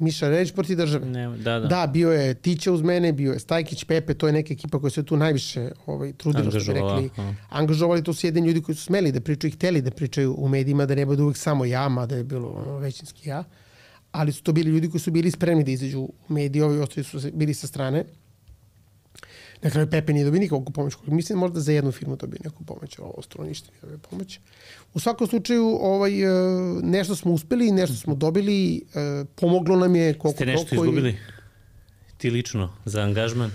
Miša Relić protiv države. Da, bio je Tića uz mene, bio je Stajkić, Pepe, to je neka ekipa koja se tu najviše trudila, što bi rekli. Angažovali, to su jedini ljudi koji su smeli da pričaju i hteli da pričaju u medijima, da ne bude uvek samo ja, mada je bilo većinski ja. Ali su to bili ljudi koji su bili spremni da izađu u mediji, ovi ostali su bili sa strane. Na kraju Pepe nije dobio nikakvu pomoć. Mislim možda za jednu firmu dobio neku pomoć, ovo ostalo ništa nije dobio pomoć. U svakom slučaju nešto smo uspeli, nešto smo dobili, pomoglo nam je koliko... Ste nešto izgubili? Ti lično, za angažman?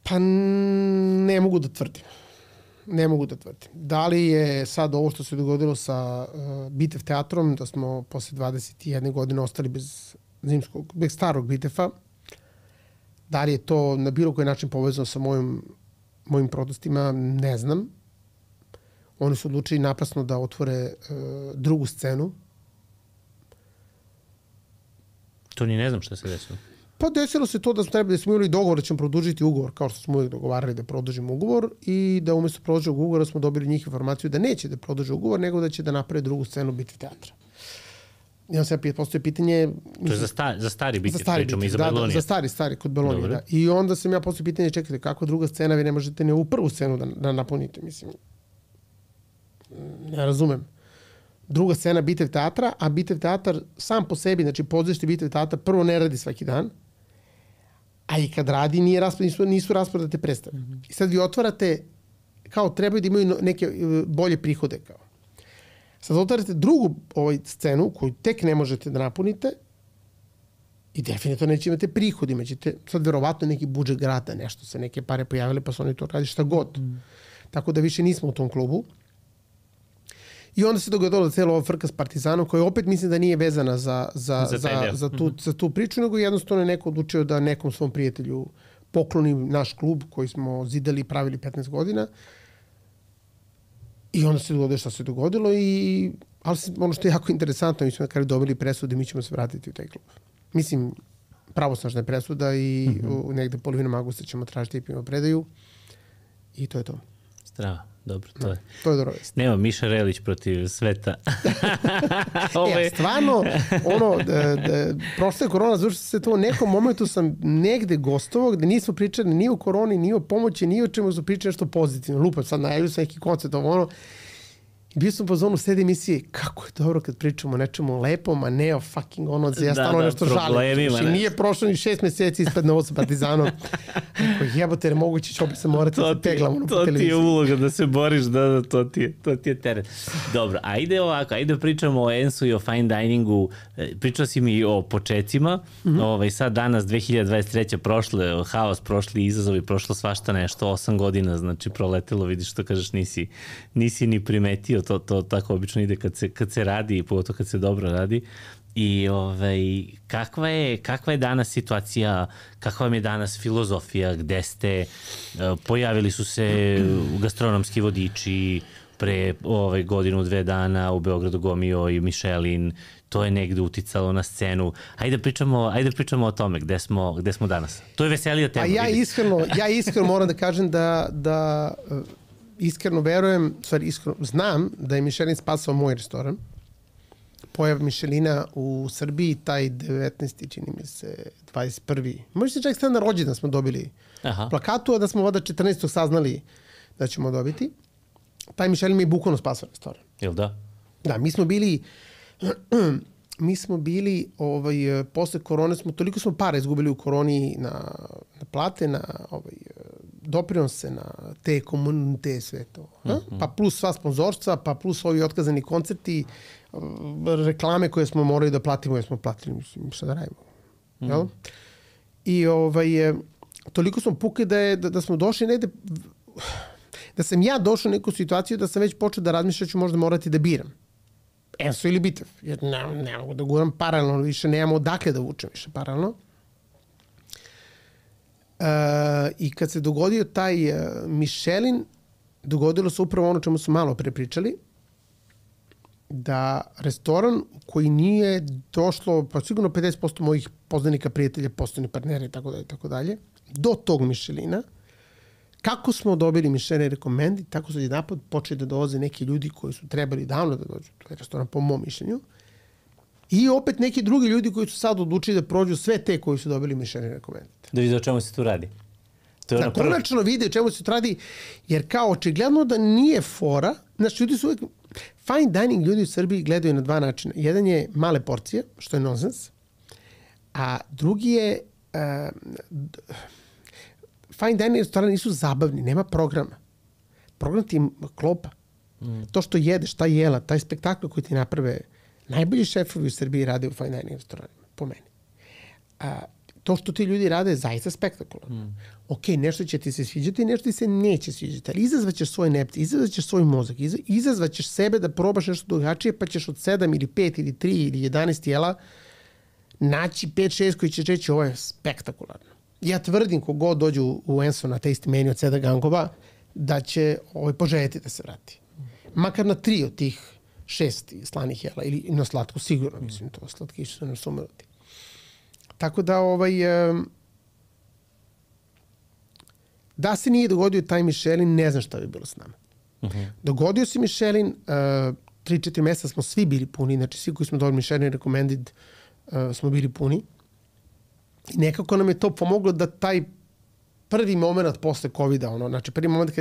Pa ne mogu da tvrdim. Ne mogu da tvrdim. Da li je sad ovo što se dogodilo sa Bitev teatrom, da smo posle 21 godine ostali bez starog Bitefa, da li je to na bilo koji način povezano sa mojim protestima, ne znam. Oni su odlučili naprasno da otvore drugu scenu. To ni ne znam šta se desilo. Pa desilo se to da smo imali dogovor da ćemo produžiti ugovor, kao što smo uvijek dogovarali da produžimo ugovor, i da umjesto produženog ugovora smo dobili njih informaciju da neće da produže ugovor, nego da će da naprave drugu scenu Bitev teatra. I onda se postoje pitanje... To je za stari Bitev, pričamo iz Belonija. Da, za stari, kod Belonija, da. I onda sam ja postoje pitanje, čekajte, kako druga scena, vi ne možete ni ovu prvu scenu da napunite, mislim. Ne razumem. Druga scena Bitev teatra, a Bitev teatar sam po sebi, znači pozorište Bitev teatra, prvo ne radi svaki dan, a i kad radi nisu rasprodate predstave. I sad vi otvarate, kao trebaju da imaju neke bolje prihode, kao. Sad otvarate drugu scenu koju tek ne možete da napunite i definitivno neće imate prihod, imaćete sad verovatno neki budžet grada, nešto se neke pare pojavile pa su oni to radi šta god. Tako da više nismo u tom klubu. I onda se dogodilo celo ovo frka s Partizanom, koja opet mislim da nije vezana za tu priču, nego jednostavno je neko odlučio da nekom svom prijatelju pokloni naš klub koji smo zidali i pravili 15 godina. I onda se dogodilo šta se dogodilo, ali ono što je jako interesantno, mi smo na kraju dobili presudu i mi ćemo se vratiti u taj klub. Mislim, pravosnažna je presuda i negde polovinom augusta ćemo tražiti i predaju i to je to. Strava. Dobro, to je. To je dobro vest. Nema Miša Relić protiv sveta. Stvarno, prošle korona, zašto se to u nekom momentu sam negde gostovao gde nismo pričali ni o koroni, ni o pomoći, ni o čemu su pričali nešto pozitivno. Lupam, sad najavio sam neki koncert, i bio sam po zonu sede emisije, kako je dobro kad pričamo o nečemu lepom, a ne o fucking ja stano nešto žalim. Nije prošlo ni 6 meseci ispred Novo sa Partizanom. Jebote, jer moguće će opet se morati da se peglamo po televiziji. To ti je uloga da se boriš, to ti je teret. Dobro, ajde ovako, ajde pričamo o Ensu i o fine diningu. Pričao si mi o počecima. Sad danas, 2023. prošle, haos, prošli izazovi, prošlo svašta nešto, 8 godina, znači proletelo, vidiš što kažeš, nisi ni primetio. To tako obično ide kad se radi i pogotovo kad se dobro radi. I kakva je danas situacija, kakva vam je danas filozofija, gde ste, pojavili su se gastronomski vodiči pre godinu, 2 dana u Beogradu Gomio i Michelin, to je negde uticalo na scenu. Ajde pričamo o tome, gde smo danas. To je veselija tema. Ja iskreno moram da kažem da iskreno verujem, znam da je Michelin spasao moj restoran. Pojav Michelina u Srbiji, taj 19. čini mi se, 21. Možda čak sad na rođendan smo dobili plakatu, a da smo vada 14. saznali da ćemo dobiti. Taj Michelin mi je bukvalno spasao restoran. Jel da? Da, mi smo bili posle korone, toliko smo para izgubili u koroni na plate, na doprinose, na te sve to. Pa plus sva sponzorstva, pa plus ovi otkazani koncerti, reklame koje smo morali da platimo, jer smo platili, mislim, šta da radimo. I toliko smo pukli da smo došli negde, da sam ja došao u neku situaciju da sam već počeo da razmišljam, ću možda morati da biram Enso ili Bitev, jer ne mogu da guram paralelno, više nemamo odakle da vučem više paralelno. I kad se dogodio taj Michelin, dogodilo se upravo ono čemu smo malo prepričali, da restoran koji nije došlo, pa sigurno 50% mojih poznanika, prijatelja, poslovnih partnera i tako dalje, do tog Michelina, kako smo dobili Michelin rekomendi, tako su jedanput počeli da dolaze neki ljudi koji su trebali davno da dođu u taj restoran, po mom mišljenju, I opet neki drugi ljudi koji su sad odlučili da prođu sve te koji su dobili Michelin rekomendate. Da vidi o čemu se tu radi. Da konačno vide o čemu se tu radi, jer kao očigledno da nije fora, znači ljudi su uvijek, fine dining ljudi u Srbiji gledaju na dva načina. Jedan je male porcije, što je nonsens, a drugi je fine dining restorani nisu zabavni, nema programa. Program ti je klopa. To što jedeš, ta jela, taj spektakl koji ti naprave, najbolji šefovi u Srbiji rade u fine dining restoranima, po meni. To što ti ljudi rade je zaista spektakularno. Ok, nešto će ti se sviđati, nešto ti se neće sviđati, ali izazvaćeš svoj nepci, izazvaćeš svoj mozak, izazvaćeš sebe da probaš nešto drugačije, pa ćeš od 7 ili 5 ili 3 ili 11 jela naći 5-6 koji će reći ovo je spektakularno. Ja tvrdim kogod dođe u Enso na taste menu od Seda Gangova da će poželjeti da se vrati. Makar na 3 od tih 6 slanih jela ili na slatku, sigurno, mislim, to slatkiši su nesumrati. Tako da, da se nije dogodio taj Michelin, ne znam šta bi bilo s nama. Dogodio se Michelin, 3-4 mjeseca smo svi bili puni, znači svi koji smo dobili Michelin recommended smo bili puni. I nekako nam je to pomoglo da taj prvi moment posle COVID-a, znači prvi moment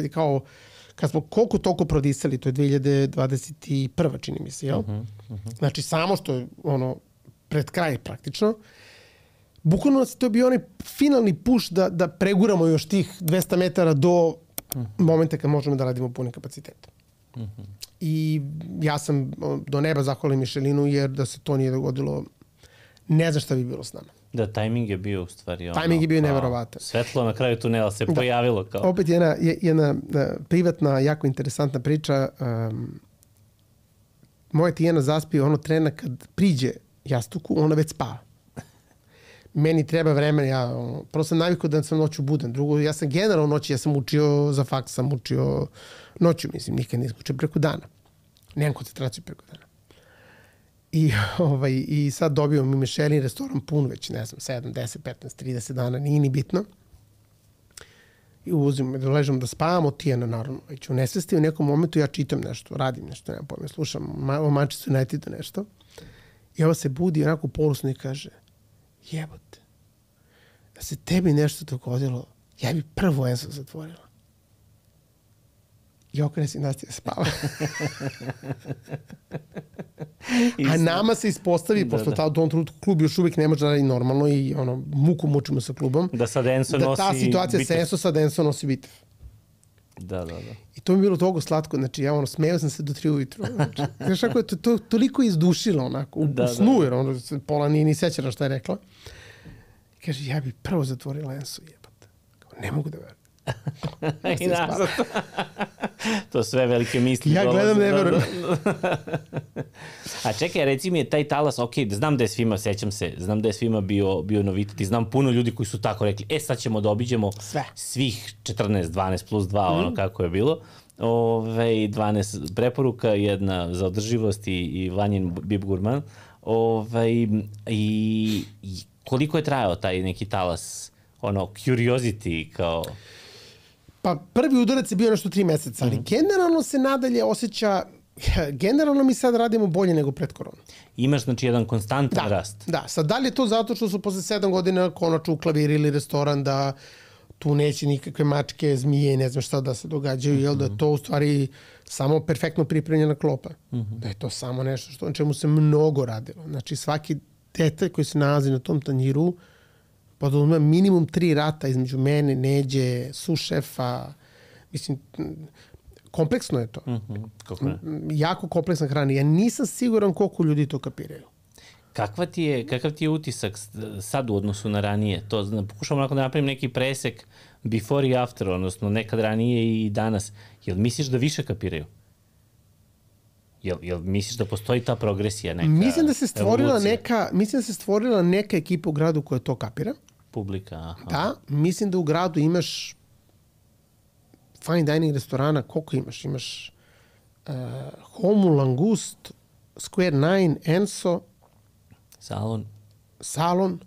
kad smo koliko toliko prodisali, to je 2021. čini mi se, jel? Znači samo što je pred kraj praktično, bukvalno nas to je bio onaj finalni push da preguramo još tih 200 metara do momenta kad možemo da radimo punim kapacitetom. I ja sam do neba zahvalim Michelinu, jer da se to nije dogodilo, ne znam šta bi bilo s nama. Da, tajming je bio u stvari tajming je bio neverovatan. Svetlo na kraju tunela se pojavilo kao. Opet jedna privatna, jako interesantna priča. Moja Tijana zaspi trena kad priđe jastuku, ona već spava. Meni treba vremena, ja prvo sam navikao da sam noću budan. Drugo, ja sam generalno noći, ja sam učio za faks, sam učio noću, mislim, nikad nisam učio preko dana. Nemam koncentraciju preko dana. I sad dobio mi Michelin restoran pun već, ne znam, 7, 10, 15, 30 dana, nije ni bitno. I uzim, doležem da spavamo, Tijana naravno, već u nesvesti, u nekom momentu ja čitam nešto, radim nešto, nemam pojma, slušam o Manchester United nešto. I ovo se budi onako polusno i kaže, jebote, da se tebi nešto dogodilo, ja bi prvo Enso zatvorila. I okrene se i nastavlja spava. A nama se ispostavi, pošto u tom trenutku klub još uvijek ne može da radi normalno i muku mučimo sa klubom, da sad Enso nosi ta situacija sa Enso, sad Enso nosi bitev. Da. I to mi je bilo toliko slatko, znači ja smeo sam se do 3 ujutru. Znaš kako je to toliko izdušilo onako, u snu, jer pola nije ni sećala šta je rekla. Kaže, ja bi prvo zatvorila Enso, jebate. Ne mogu da verujem. I nazad. To sve velike misli. Ja gledam, ne verujem. A čekaj, reci mi je taj talas, ok, znam da je svima, sećam se, znam da je svima bio novitet i znam puno ljudi koji su tako rekli, sad ćemo da obiđemo svih 14, 12 plus 2, ono kako je bilo. 12 preporuka, jedna za održivost i Vanjin Bib Gurman. I koliko je trajao taj neki talas, curiosity kao... Pa prvi udarac je bio nešto 3 meseca, ali generalno se nadalje osjeća, generalno mi sad radimo bolje nego pred koronu. Imaš znači jedan konstantan rast. Da, sad da li je to zato što su posle 7 godina konačno uklavirili restoran da tu neće nikakve mačke, zmije, ne znam šta da se događaju, jel da je to u stvari samo perfektno pripremljena klopa. Da je to samo nešto na čemu se mnogo radilo. Znači svaki detalj koji se nalazi na tom tanjiru, pa da ima minimum 3 rata između mene, Neđe, sušefa. Mislim, kompleksno je to. Jako kompleksna hrana. Ja nisam siguran koliko ljudi to kapiraju. Kakav ti je utisak sad u odnosu na ranije? Pokušam onako da napravim neki presek before i after, odnosno nekad ranije i danas. Jel misliš da više kapiraju? Jel misliš da postoji ta progresija, neka mislim da se stvorila neka ekipa u gradu koja to kapira. Publika, aha. Da, mislim da u gradu imaš fine dining restorana, koliko imaš? Imaš Homu, Langust, Square 9, Enso, Salon.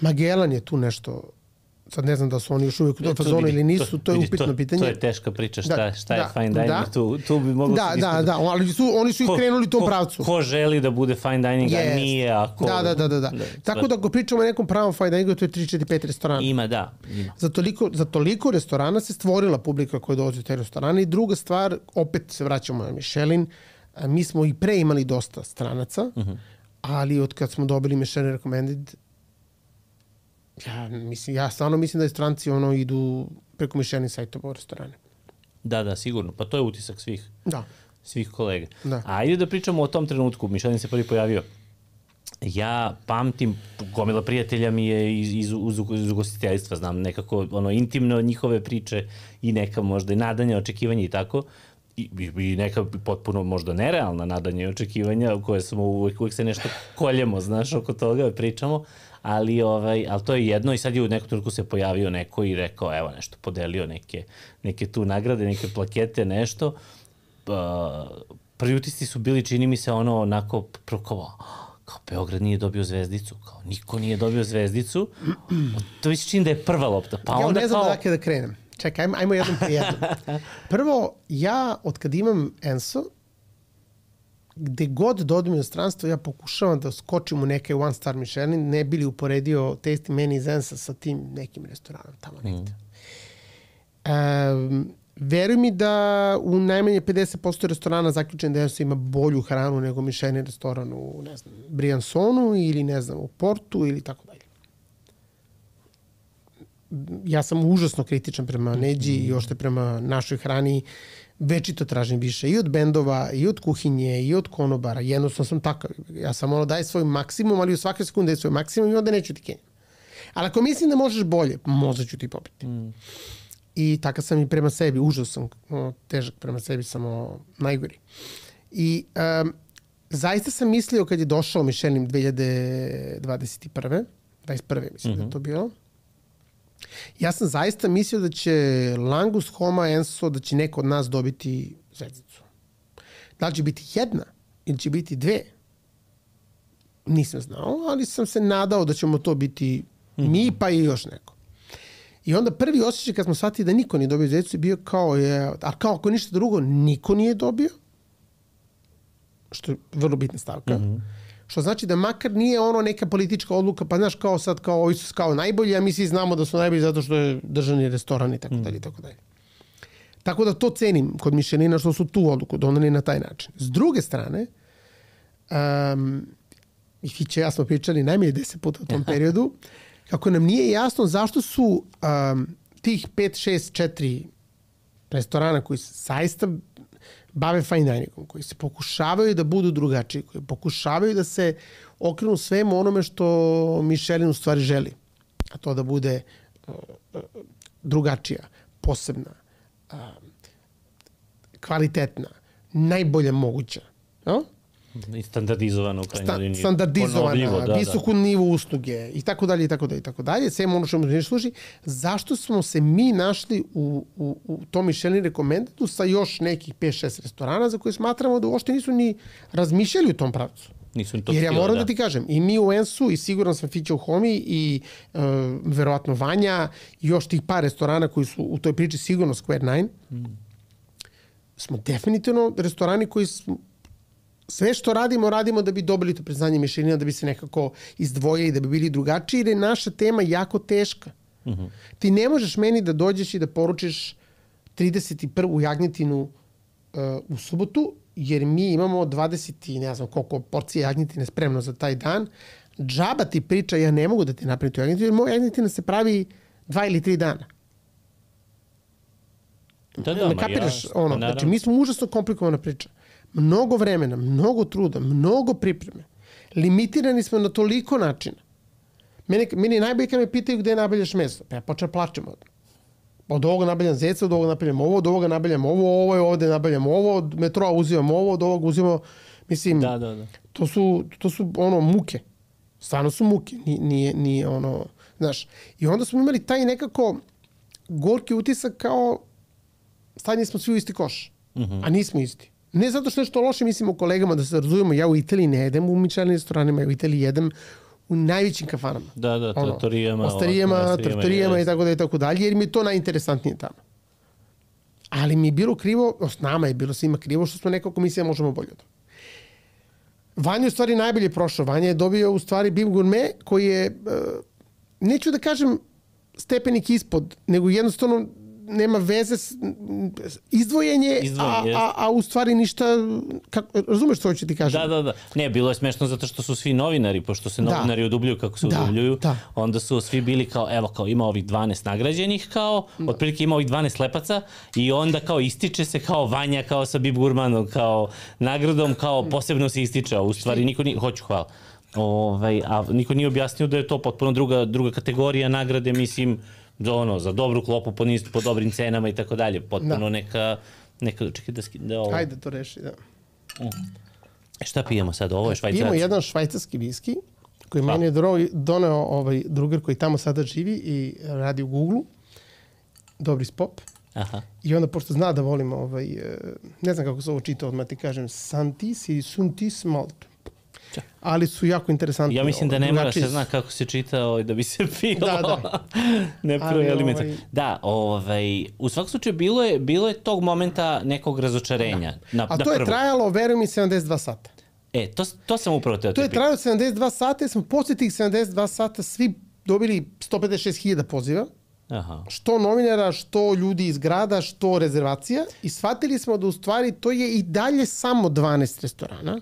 Magellan je tu nešto sad ne znam da su oni još uvijek u toj fazonu ili nisu, to je upitno pitanje. To je teška priča, šta je fine dining, tu bi moglo se diskutovati. Da, ali oni su i krenuli u tom pravcu. Ko želi da bude fine dining, a nije, a ko... Da. Tako da ako pričamo o nekom pravom fine diningu, to je 3, 4, 5 restorana. Ima. Za toliko restorana se stvorila publika koja dolazi u te restorane i druga stvar, opet se vraćamo na Michelin, mi smo i pre imali dosta stranaca, ali od kad smo dobili Michelin Recommended, ja stvarno mislim da je stranci idu preko Michelin sajtova u restorane. Da, sigurno. Pa to je utisak svih kolega. Da. A ajde da pričamo o tom trenutku. Michelin se prvi pojavio. Ja pamtim, gomila prijatelja mi je iz ugostiteljstva, znam nekako intimno njihove priče i neka možda i nadanja, očekivanja i tako. I neka potpuno možda nerealna nadanja i očekivanja koje smo uvek se nešto koljemo, znaš, oko toga pričamo. Ali to je jedno i sad je u nekom trenutku se pojavio neko i rekao, evo nešto, podelio neke tu nagrade, neke plakete, nešto. Prvi utisci su bili, čini mi se, onako, kao Beograd nije dobio zvezdicu, kao niko nije dobio zvezdicu. To mi se čini da je prva lopta. Pa ja onda ne znam odakle da krenem. Čekaj, ajmo jednom po jednom. Prvo, ja od kad imam Enso, gde god dođem u inostranstvo, ja pokušavam da skočim u neke one star Michelin, ne bi li uporedio tasting menu iz Ensa sa tim nekim restoranom tamo negde. Veruj mi da u najmanje 50% restorana zaključen da Enso ima bolju hranu nego Michelin restoran u, ne znam, Briansonu ili, ne znam, u Portu ili tako dalje. Ja sam užasno kritičan prema Neđi i ošte prema našoj hrani. Večito tražim više i od bendova, i od kuhinje, i od konobara. Jednostavno sam takav. Ja sam daj svoj maksimum, ali u svake sekunde je svoj maksimum i onda neću ti kenjam. Ali ako mislim da možeš bolje, možda ću ti popiti. I takav sam i prema sebi. Užasno sam težak prema sebi, samo najgori. I zaista sam mislio kad je došao Michelin 2021. 21. mislim da je to bilo. Ja sam zaista mislio da će Langus, Homa, Enso, da će neko od nas dobiti zvezdicu. Da li će biti jedna ili će biti dve? Nisam znao, ali sam se nadao da ćemo to biti mi pa i još neko. I onda prvi osjećaj kad smo shvatili da niko nije dobio zvezdicu je bio kao, kao ako ništa drugo, niko nije dobio, što je vrlo bitna stavka. Što znači da makar nije neka politička odluka, pa znaš kao sad kao ovi su kao najbolji, a mi svi znamo da su najbolji zato što je državni restoran i tako dalje i tako dalje. Tako da to cenim kod Michelina što su tu odluku doneli na taj način. S druge strane, i Fiće ja smo pričali najmanje 10 puta u tom periodu, kako nam nije jasno zašto su tih 5, 6, 4 restorana koji zaista bave fine diningom, koji se pokušavaju da budu drugačiji, koji pokušavaju da se okrenu svemu onome što Michelin u stvari želi. A to da bude drugačija, posebna, kvalitetna, najbolja moguća. No? I standardizovano u krajnjoj liniji. Standardizovana, visoku nivu usluge i tako dalje, i tako dalje, i tako dalje. Sve ono što mi služi. Zašto smo se mi našli u tom Michelin Recommendedu sa još nekih 5-6 restorana za koje smatramo da uopšte nisu ni razmišljali u tom pravcu? Jer ja moram da ti kažem, i mi u Ensu, i siguran sam Fića u Homi, i verovatno Vanja, i još tih par restorana koji su u toj priči sigurno Square 9, smo definitivno restorani koji smo sve što radimo da bi dobili to priznanje Michelina, da bi se nekako izdvojili, da bi bili drugačiji, jer je naša tema jako teška. Ti ne možeš meni da dođeš i da poručiš 31. jagnjetinu u subotu, jer mi imamo 20 i ne znam koliko porcije jagnjetine spremno za taj dan. Džaba ti priča, ja ne mogu da ti napravim tu jagnjetinu, jer moja jagnjetina se pravi 2 ili 3 dana. Ne kapiraš ono. Znači, mi smo užasno komplikovana priča. Mnogo vremena, mnogo truda, mnogo pripreme. Limitirani smo na toliko načina. Meni najbolje kad me pitaju gde nabavljaš meso. Pa ja počeo plačem od ovoga nabavljam zeca, od ovoga nabavljam ovo, od ovoga nabavljam ovo je ovde nabavljam ovo, od metroa uzimam ovo, od ovoga uzimam... Mislim, to su muke. Stvarno su muke. Nije ono... Znaš, i onda smo imali taj nekako gorki utisak kao stavljeni smo svi u isti koš. A nismo isti. Ne zato što nešto loše mislim o kolegama, da se razumemo, ja u Italiji ne jedem u Michelin restoranima, ja u Italiji jedem u najvećim kafanama. Da, trattorijama. Trattorijama i tako dalje, jer mi je to najinteresantnije tamo. Ali mi je bilo krivo, nama je bilo svima krivo, što smo nekako mislili da možemo bolje od toga. Vanja je u stvari najbolje prošao. Vanja je dobio u stvari Bib Gourmet, koji je, neću da kažem stepenik ispod, nego jednostavno nema veze s izdvojenje, a u stvari ništa, razumeš što hoću ti kažem? Da. Ne, bilo je smešno zato što su svi novinari, pošto se novinari odubljuju kako se odubljuju, onda su svi bili kao, evo kao ima ovih 12 nagrađenih kao, otprilike ima ovih 12 slepaca i onda kao ističe se kao Vanja, kao sa Bib Gourmanom, kao nagradom, kao posebno se ističe, a u stvari niko nije, hoću hvala. A niko nije objasnio da je to potpuno druga kategorija nagrade, mislim, za dobru klopu po dobrim cenama i tako dalje. Potpuno neka čekaj da ovo... Hajde to reši, da. Šta pijemo sad? Ovo je švajcarski. Pijemo jedan švajcarski viski koji meni je doneo drugar koji tamo sada živi i radi u Google-u. Dobri spop. Aha. I onda, pošto zna da volim, ne znam kako se ovo čita, odmah ti kažem, Santis ili Suntis Malt. Ali su jako interesantni. Ja mislim da ne mora se zna kako se čita da bi se pilo. Da. Ne pravi alimenta. Da, u svakom slučaju bilo je tog momenta nekog razočarenja. A to je trajalo, verujem mi, 72 sata. To sam upravo teo. To je trajalo 72 sata jer smo posle tih 72 sata svi dobili 156.000 poziva. Aha. Što novinara, što ljudi iz grada, što rezervacija. I shvatili smo da u stvari to je i dalje samo 12 restorana.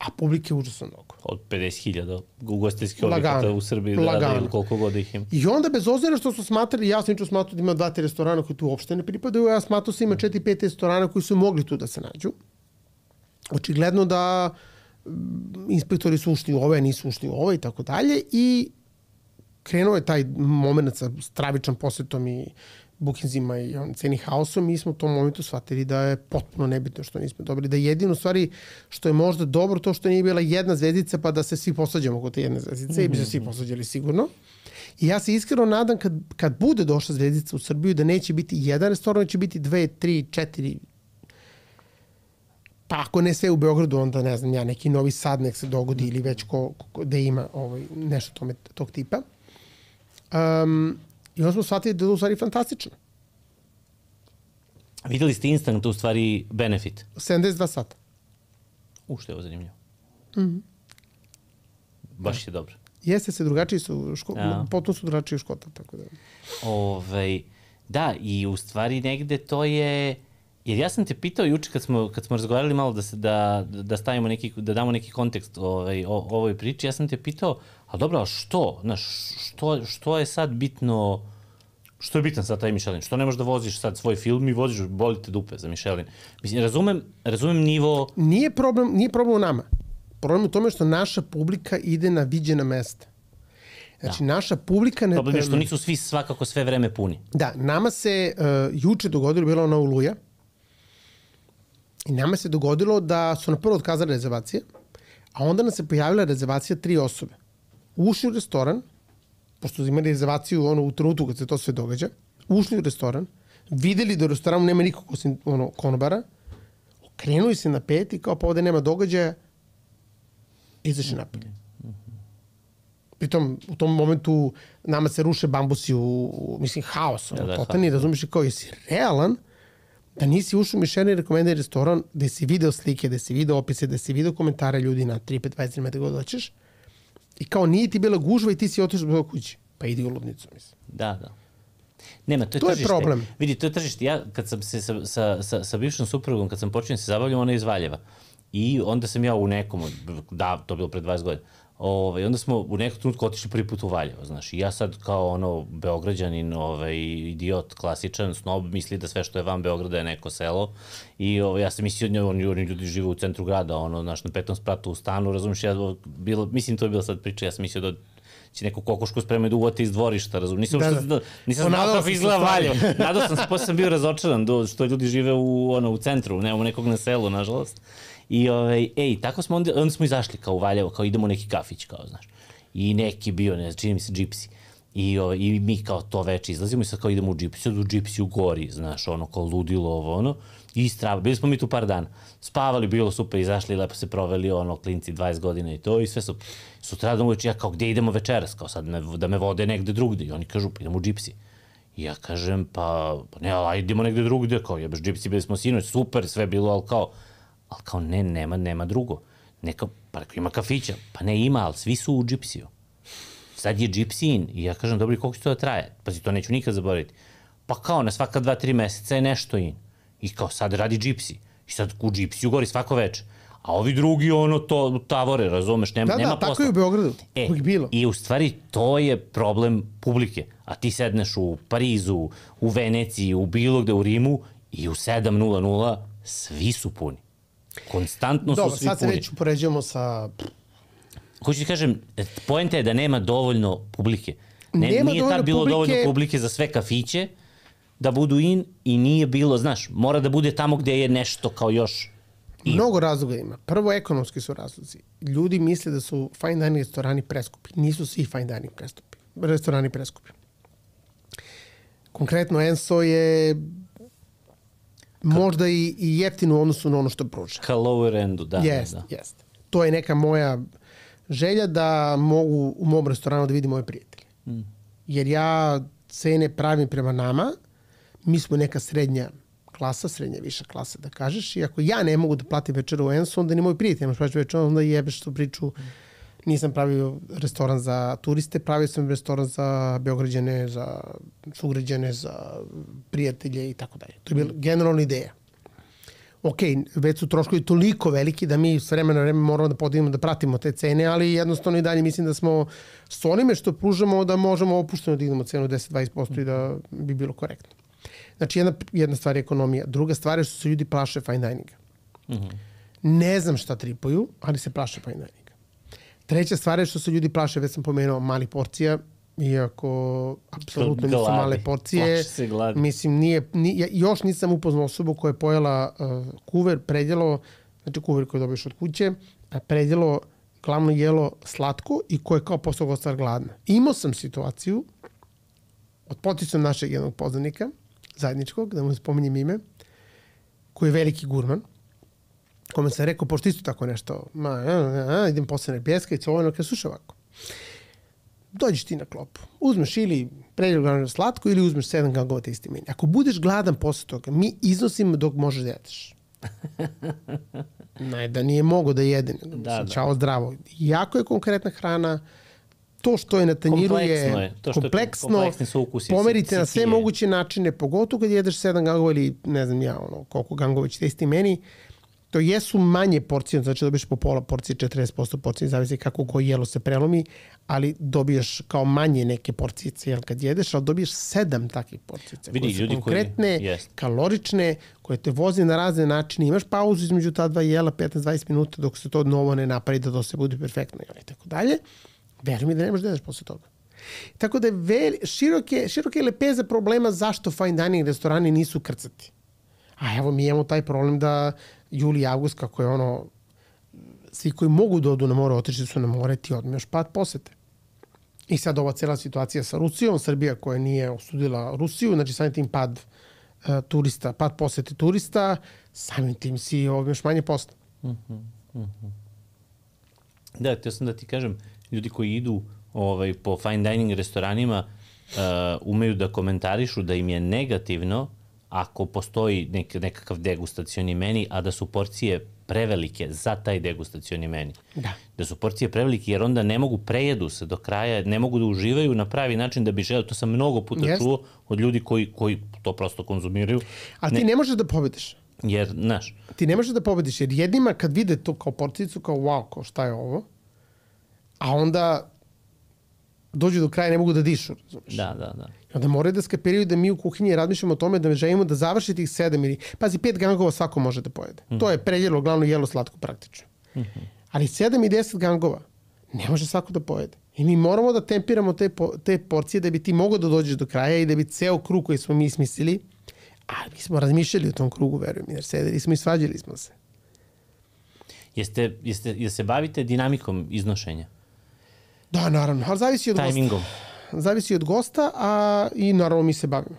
A publike je užasno mnogo. Od 50.000 ugostiteljskih objekata u Srbiji da rade ili koliko god ih ima. I onda bez obzira što su smatrali, ja sam smatrao da ima 2-3 restorana koji tu uopšte ne pripadaju, ja smatrao da ima 4-5 restorana koji su mogli tu da se nađu. Očigledno da inspektori su ušli u ove, nisu ušli u ove i tako dalje i krenuo je taj moment sa stravičan posjetom i bookingsima i ceni haosom, mi smo u tom momentu shvatili da je potpuno nebitno što nismo dobili. Da jedino stvari što je možda dobro to što nije bila jedna zvezdica pa da se svi posađamo kod te jedne zvezdice i bi se svi posađali sigurno. I ja se iskreno nadam kad bude došla zvezdica u Srbiju da neće biti jedan restoran, će biti 2, 3, 4, pa ako ne sve u Beogradu, onda ne znam ja, neki Novi Sad nek se dogodi ili već da ima nešto tog tipa. I onda smo shvatili da je to u stvari fantastično. Videli ste instant u stvari benefit? 72 sata. Što je ovo zanimljivo. Baš je dobro. Jeste se drugačiji su, potpuno su drugačiji u Škota, tako da. Da, i u stvari negde to je, jer ja sam te pitao juče kad smo razgovarali malo da stavimo neki, da damo neki kontekst ovoj priči, ja sam te pitao, a dobro, a što? Što je sad bitno, što je bitan sad taj Michelin? Što ne možeš da voziš sad svoj film i voziš, boli te dupe za Michelin? Mislim, razumem nivo... Nije problem u nama. Problem u tome što naša publika ide na viđena mesta. Znači, naša publika... Problem je što nisu svi svakako sve vreme puni. Da, nama se juče dogodilo, bila ona Oluja, i nama se dogodilo da su na prvo otkazali rezervacije, a onda nam se pojavila rezervacija 3 osobe. Ušli u restoran, pošto su imali rezervaciju u trenutku kad se to sve događa, ušli u restoran, videli da u restoranu nema nikog osim konobara, okrenuli se na 5 i kao pa ovde nema događaja, izašli napolje. Pritom, u tom momentu nama se ruše bambusi mislim, haos. Totalni, razumiješ, kao jesi realan da nisi ušao u Michelin rekomendani restoran, gde si video slike, gde si video opise, gde si video komentare ljudi na 3, 5, 20 metara god hoćeš. I kao nije ti bila gužva i ti si otišao do kući. Pa idi u ludnicu, mislim. Da. Nema, to je tržište. To je problem. Vidi, to je tržište. Ja, kad sam se sa bivšom suprugom, kad sam počinio se zabavljam, ona je iz Valjeva. I onda sam ja u nekom, to je bilo pred 20 godina, onda smo u nekom trenutku otišli prvi put u Valjevo, znaš. I ja sad kao Beograđanin, idiot, klasičan, snob, misli da sve što je van Beograda je neko selo. I ja sam mislio, oni ljudi žive u centru grada, znaš, na 5. spratu u stanu, razumiješ, mislim to je bila sad priča, ja sam mislio da će neku kokošku spremaju da uvate iz dvorišta, razumiješ. Nisam znao kako izgleda Valjevo. Nadao sam se, posle sam bio razočaran što ljudi žive u centru, nemamo nekog na selu, nažalost. I tako smo, onda smo izašli kao u Valjevo, kao idemo u neki kafić, kao, znaš. I neki bio, ne znam, čini mi se Gypsy. I mi kao to veče izlazimo i sad kao idemo u džipsi, sad u džipsi u gori, znaš, ono, kao ludilo ovo, ono, i strava. Bili smo mi tu par dana. Spavali, bilo super, izašli, lepo se proveli, ono, klinci 20 godina i to, i sve super. Sutradan uveče, ja kao, gde idemo večeras? Kao sad da me vode negde drugde. I oni kažu, pa idemo u džipsi. I ja kažem, pa ne, ali idemo negde drugde, kao jebeš džipsi, bili smo sinoć, super, sve bilo, ali kao ne, nema drugo. Neka, pa ima kafića, pa ne ima, ali svi su u džipsiju. Sad je džipsi in. I ja kažem, dobro, koliko će to da traje? Pazi, to neću nikad zaboraviti. Pa kao, na svaka 2-3 meseca je nešto in. I kao, sad radi džipsi. I sad u džipsiju gori svako veče. A ovi drugi, ono, to tavore, razumeš, nema posla. Da, tako je u Beogradu. Bilo. I u stvari, to je problem publike. A ti sedneš u Parizu, u Veneciji, u bilo gde, u Rimu i u 7:00 svi su puni. Konstantno su svi puni. Dobro, sad se već upoređujemo sa... Hoću ti kažem, poenta je da nema dovoljno publike. Nije tad bilo dovoljno publike za sve kafiće da budu in i nije bilo, znaš, mora da bude tamo gde je nešto kao još in. Mnogo razloga ima. Prvo, ekonomski su razlozi. Ljudi misle da su fine dining restorani preskupi. Nisu svi fine dining restorani preskupi. Konkretno, Enso je možda i jeftino u odnosu na ono što pruža. Ka lower endu, da. Jest. To je neka moja želja da mogu u mom restoranu da vidim moje prijatelje. Jer ja cene pravim prema nama, mi smo neka srednja klasa, srednja viša klasa da kažeš, i ako ja ne mogu da platim večeru u Ensu, onda ni moj prijatelj nemaš plaću večeru, onda jebeš tu priču. Nisam pravio restoran za turiste, pravio sam restoran za Beograđane, za sugrađane, za prijatelje i tako dalje. To je bila generalna ideja. Ok, već su troškovi toliko veliki da mi s vremena na vreme moramo da podignemo, da pratimo te cene, ali jednostavno i dalje mislim da smo s onime što pružamo da možemo opušteno da dignemo cenu 10-20% i da bi bilo korektno. Znači, jedna stvar je ekonomija. Druga stvar je što se ljudi plaše fine dininga. Ne znam šta tripuju, ali se plaše fine dininga. Treća stvar je što se ljudi plaše, već sam pomenuo, malih porcija, iako apsolutno nisu male porcije. Mislim, još nisam upoznao osobu koja je pojela kuver, predjelo, znači kuver koji dobiješ od kuće, predjelo, glavno jelo slatko i koje je kao posle ostala gladna. Imao sam situaciju od poticom našeg jednog poznanika, zajedničkog, da mu spominjem ime, koji je veliki gurman, kome sam rekao, pošto isto tako nešto, idem posle na pjeska i covojno, kada sluša ovako. Dođeš ti na klopu, uzmeš ili predjelo glavno slatko ili uzmeš 7 gangova te isti meni. Ako budeš gladan posle toga, mi iznosimo dok možeš da jedeš. Da nije mogo da jede, čao zdravo. Jako je konkretna hrana, to što je na tanjiru je kompleksno, pomerite na sve moguće načine, pogotovo kad jedeš 7 gangova ili ne znam ja, koliko gangova će te isti meni, to jesu manje porcije, znači dobiješ po pola porcije, 40% porcije, zavisi kako koje jelo se prelomi, ali dobiješ kao manje neke porcije kad jedeš, ali dobiješ 7 takvih porcija. Koje su konkretne, kalorične, koje te vozi na razne načine. Imaš pauzu između ta dva jela, 15-20 minuta, dok se to novo ne napravi, da to se bude perfektno i tako dalje. Veruj mi da nemaš da jedeš posle toga. Tako da je široke lepeze problema zašto fine dining restorani nisu krcati. A evo mi imamo taj problem da juli i avgust, kako je svi koji mogu da odu na more, otišli su na more, ti odmeš pad posete. I sad ova cijela situacija sa Rusijom, Srbija koja nije osudila Rusiju, znači samim tim pad posete turista, samim tim si odmeš manje posla. Da, htio sam da ti kažem, ljudi koji idu po fine dining restoranima umeju da komentarišu da im je negativno ako postoji nekakav degustacioni meni, a da su porcije prevelike za taj degustacioni meni. Da su porcije prevelike jer onda ne mogu, prejedu se do kraja, ne mogu da uživaju na pravi način da bi želeo. To sam mnogo puta čuo od ljudi koji to prosto konzumiraju. A ti ne možeš da pobediš. Jer, znaš. Ti ne možeš da pobediš jer jednima kad vide to kao porcijicu, kao wow, kao šta je ovo, a onda dođu do kraja, ne mogu da dišu. Da. I onda moraju da skapiraju da mi u kuhinji razmišljamo o tome da želimo da završi tih 7 ili... Pazi, 5 gangova svako može da pojede. To je predjelo, glavno jelo slatko praktično. Ali 7 i 10 gangova ne može svako da pojede. I mi moramo da tempiramo te porcije da bi ti mogao da dođeš do kraja i da bi ceo krug koji smo mi smislili, a mi smo razmišljali o tom krugu, verujem, jer sedeli smo i svađali smo se. Jeste se bavite dinamikom iznošenja? Da, naravno, ali zavisi od timingom. zavisi od gosta, a i naravno mi se bavimo.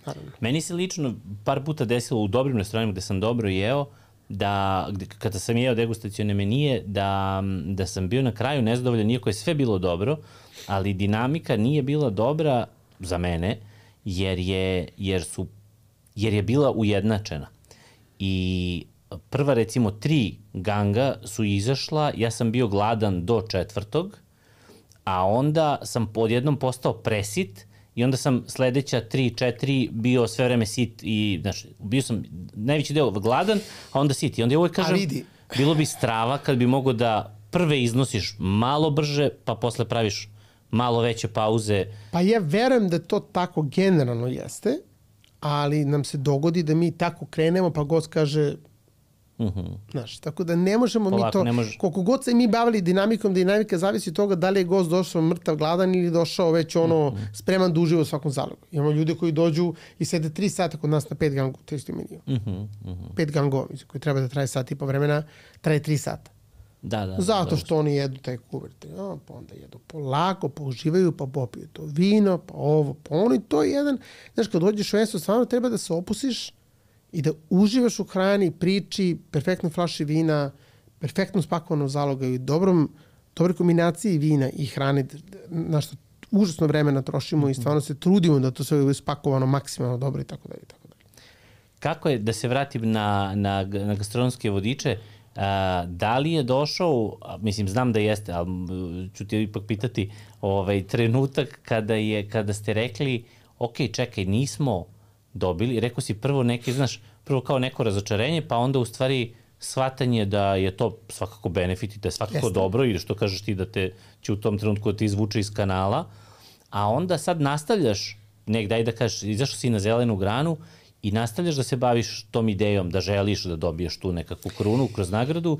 Naravno. Meni se lično par puta desilo u dobrim restoranima gde sam dobro jeo, da kada sam jeo degustacione menije, da sam bio na kraju nezadovoljan, iako je sve bilo dobro, ali dinamika nije bila dobra za mene, jer je bila ujednačena. I prva, recimo, 3 ganga su izašla, ja sam bio gladan do 4. a onda sam odjednom postao presit i onda sam sledeća 3-4 bio sve vreme sit i, znaš, bio sam najveći deo gladan, a onda sit. I onda ja uvijek kažem, bilo bi strava kad bi mogo da prve iznosiš malo brže, pa posle praviš malo veće pauze. Pa ja verujem da to tako generalno jeste, ali nam se dogodi da mi tako krenemo, pa gost kaže, znaš, tako da ne možemo polako, mi to, koliko god se mi bavili dinamikom, dinamika zavisi od toga da li je gost došao mrtav, gladan ili došao već spreman da uživa u svakom zalogu. Imamo ljude koji dođu i sede 3 sata kod nas na 5 gangova, to isto meniju. 5 gangova, koji treba da traje sat i po vremena, traje 3 sata. Zato što oni jedu taj kuvert. Pa onda jedu polako, pa uživaju, pa popiju to vino, pa ovo, pa ono i to je jedan. Znaš, kad dođeš u mesto, stvarno treba da se opustiš i da uživaš u hrani, priči, perfektno flaši vina, perfektno spakovano zaloga i dobroj kombinaciji vina i hrane, na što užasno vremena trošimo i stvarno se trudimo da to sve je spakovano maksimalno dobro i tako dalje. Kako je, da se vratim na gastronomske vodiče, da li je došao, mislim, znam da jeste, ali ću ti ipak pitati, trenutak kada ste rekli, ok, čekaj, nismo dobili, rekao si prvo kao neko razočarenje, pa onda u stvari shvatanje da je to svakako benefit i da je svakako dobro i što kažeš ti da će u tom trenutku da te izvuče iz kanala, a onda sad nastavljaš negdje, da kažeš, izašao si na zelenu granu i nastavljaš da se baviš tom idejom, da želiš da dobiješ tu nekakvu krunu kroz nagradu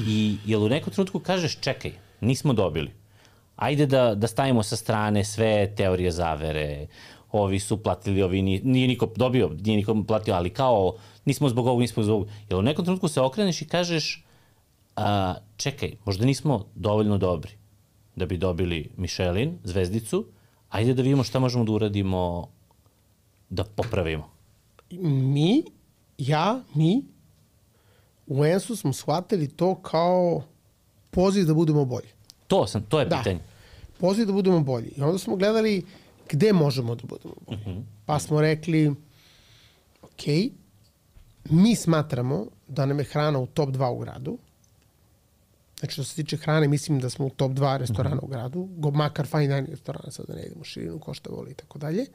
i jel u nekom trenutku kažeš čekaj, nismo dobili. Ajde da stavimo sa strane sve teorije zavere, ovi su platili, ovi nije niko dobio, nije niko platio, ali kao nismo zbog ovog, nismo zbog ovog. Jel u nekom trenutku se okreneš i kažeš čekaj, možda nismo dovoljno dobri da bi dobili Michelin, zvezdicu, ajde da vidimo šta možemo da uradimo da popravimo. Mi u ENS-u smo shvatili to kao poziv da budemo bolji. To je pitanje. Poziv da budemo bolji. I onda smo gledali gde možemo da budemo bolji. Pa smo rekli, ok, mi smatramo da nam je hrana u top 2 u gradu. Znači, što se tiče hrane, mislim da smo u top 2 restorana u gradu, makar fine dining restorana, sad da ne idemo širinu, ko šta voli i tako dalje.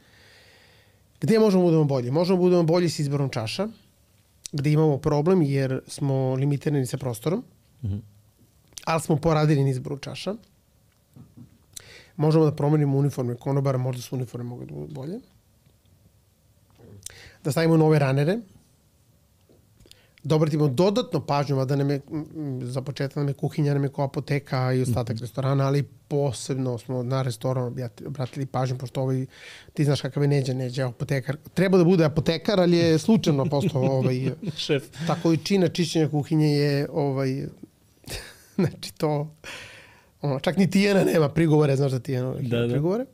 Gde možemo da budemo bolji? Možemo da budemo bolji s izborom čaša, gde imamo problem jer smo limitirani sa prostorom, ali smo poradili na izboru čaša. Možemo da promenimo uniforme konobara, možda su uniforme mogu da budu bolje. Da stavimo nove ranere. Da obratimo dodatno pažnju, a da nam je, za početak nam je kuhinja, nam je kao apoteka i ostatak restorana, ali posebno smo na restoran obratili pažnju, pošto ti znaš kakav je Neđa apotekar. Treba da bude apotekar, ali je slučajno postao šef. Ta količina čišćenja kuhinje je znači to čak ni Tijena nema prigovore, znaš da Tijena ima prigovore.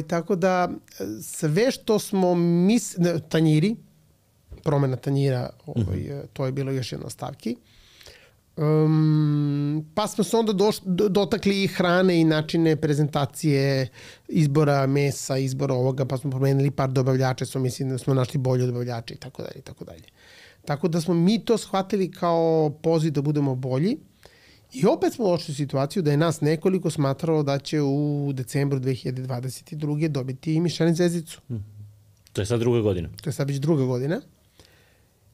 Tako da sve što smo tanjiri, promena tanjira, to je bilo još jedna stavki. Pa smo se onda dotakli i hrane i načine prezentacije, izbora mesa, izbora ovoga, pa smo promenili par dobavljača, mislim da smo našli bolje dobavljače i tako dalje, i tako dalje. Tako da smo mi to shvatili kao poziv da budemo bolji i opet smo došli u situaciju da je nas nekoliko smatralo da će u decembru 2022. dobiti Michelin zvezdicu. To je sad druga godina. To je sad već druga godina.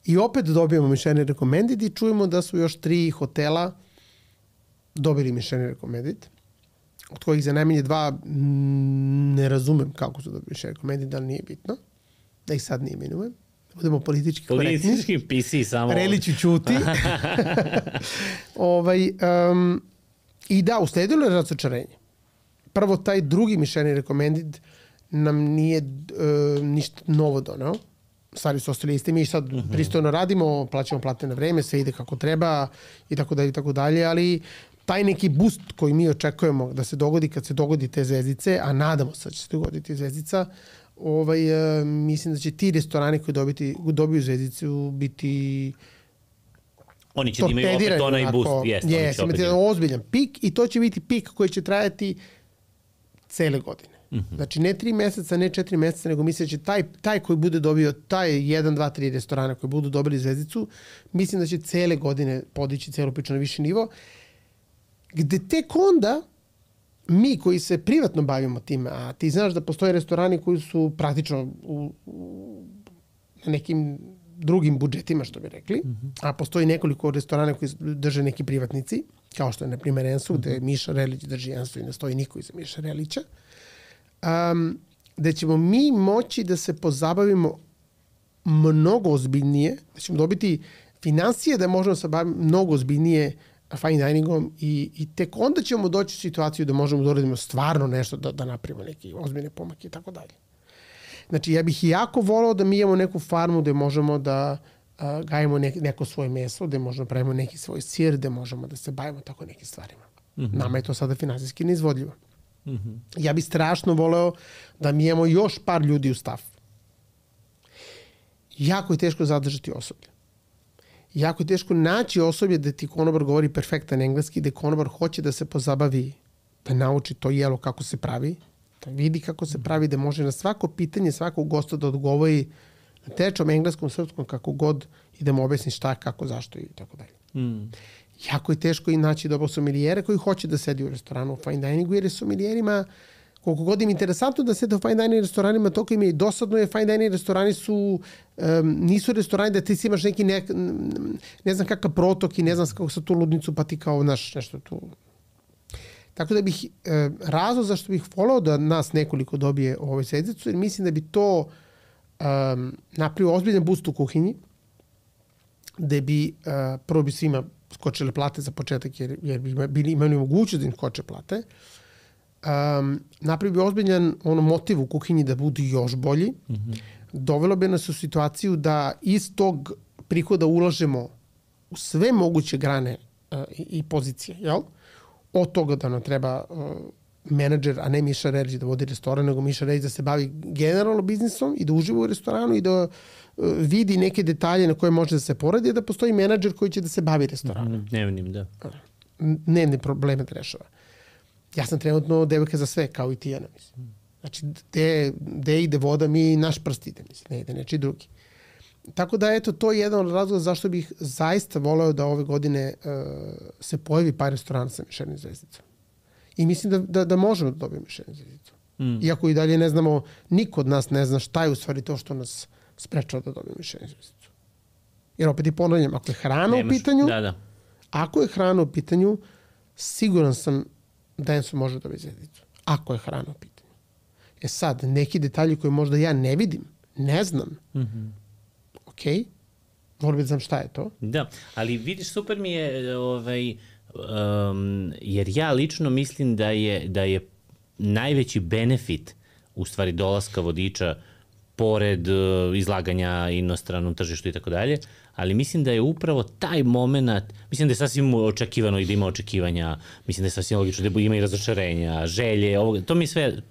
I opet dobijemo Michelin Recommended i čujemo da su još 3 hotela dobili Michelin Recommended, od kojih za najmanje 2 ne razumem kako su dobili Michelin Recommended, ali nije bitno. Da ih sad ne imenujem. Da budemo politički korektni. Politički PC samo. Relići ćuti. I da, usledilo je razočarenje. Prvo, taj drugi Michelin Recommended nam nije ništa novo doneo. Stvari su ostali isti, mi sad pristojno radimo, plaćamo plate na vreme, sve ide kako treba i tako dalje, ali taj neki boost koji mi očekujemo da se dogodi kad se dogodi te zvezdice, a nadamo se da će se dogoditi zvezdica, mislim da će ti restorani koji dobiju zvezdicu biti oni će da imaju opet onaj boost. Yes, imati ozbiljan pik i to će biti pik koji će trajati cele godine. Znači ne 3 meseca, ne 4 meseca, nego mislim da će taj koji bude dobio, taj 1, 2, 3 restorana koji budu dobili zvezdicu, mislim da će cele godine podići celu priču na viši nivo, gde tek onda mi koji se privatno bavimo time, a ti znaš da postoje restorani koji su praktično na nekim drugim budžetima, što bi rekli, a postoji nekoliko restorana koji drže neki privatnici, kao što je, na primjer, Enso, gde Miša Relić drži Enso i ne stoji niko iza Miša Relića, da ćemo mi moći da se pozabavimo mnogo ozbiljnije, da ćemo dobiti finansije da možemo se baviti mnogo ozbiljnije fine diningom i tek onda ćemo doći u situaciju da možemo da uradimo stvarno nešto, da napravimo neki ozbiljne pomake i tako dalje. Znači, ja bih jako volao da mi imamo neku farmu gde možemo da gajimo neko svoje meso, gde možemo pravimo neki svoj sir, gde možemo da se bavimo tako nekim stvarima. Nama je to sada finansijski neizvodljivo. Ja bih strašno voleo da mi imamo još par ljudi u staff. Jako je teško zadržati osoblje. Jako je teško naći osoblje da ti konobar govori perfektan engleski, da konobar hoće da se pozabavi, da nauči to jelo kako se pravi, da vidi kako se pravi, da može na svako pitanje svakog gosta da odgovori na tečom engleskom, srpskom, kako god i da mu objasni šta, kako, zašto i tako dalje. Jako je teško i naći dobrog somilijera koji hoće da sedi u restoranu u fine diningu, jer je somilijerima, koliko god im interesantno da sede u fine dining restoranima, toliko im je i dosadno, je fine dining restorani nisu restorani da ti si imaš neki ne znam kakav protok i ne znam kako sa tu ludnicu, pa ti kao nešto tu. Tako da bih, razlog zašto bih volao da nas nekoliko dobije ovoj zvezdicu, jer mislim da bi to napravio ozbiljan boost u kuhinji, gde bi prvo bi svima skočile plate za početak, jer bi imali mogućnost da im skoče plate. Napravio bi ozbiljan motiv u kuhinji da budu još bolji. Dovelo bi nas u situaciju da iz tog prihoda ulažemo u sve moguće grane i pozicije, jel? Od toga da nam treba menadžer, a ne Miša Relić da vodi restoran, nego Miša Relić da se bavi generalno biznisom i da uživa u restoranu i da vidi neke detalje na koje može da se poradi, da postoji menadžer koji će da se bavi restoranom. Dnevnim, da. Dnevne probleme da rešava. Ja sam trenutno devojka za sve, kao i ti, Ana, mislim. Znači, gde ide voda, mi naš prst ide, mislim, ne ide nečiji drugi. Tako da, eto, to je jedan od razloga zašto bih zaista voleo da ove godine se pojavi par restorana sa Michelin zvezdicom. I mislim da možemo da dobijemo Michelin zvezdicu. Iako i dalje ne znamo, niko od nas ne zna šta je u stvari to što nas sprečava da dobijemo Michelin zvezdicu. Jer opet i ponavljam, ako je hrana u pitanju, ako je hrana u pitanju, siguran sam da Enso može da dobije zvezdicu. Ako je hrana u pitanju. Sad, neki detalji koje možda ja ne vidim, ne znam, okej, volim da znam šta je to. Da, ali vidiš, super mi je, jer ja lično mislim da je najveći benefit u stvari dolaska vodiča pored izlaganja inostranom tržištu i tako dalje, ali mislim da je upravo taj moment, mislim da je sasvim očekivano i da ima očekivanja, mislim da je sasvim logično da ima i razočarenja, želje,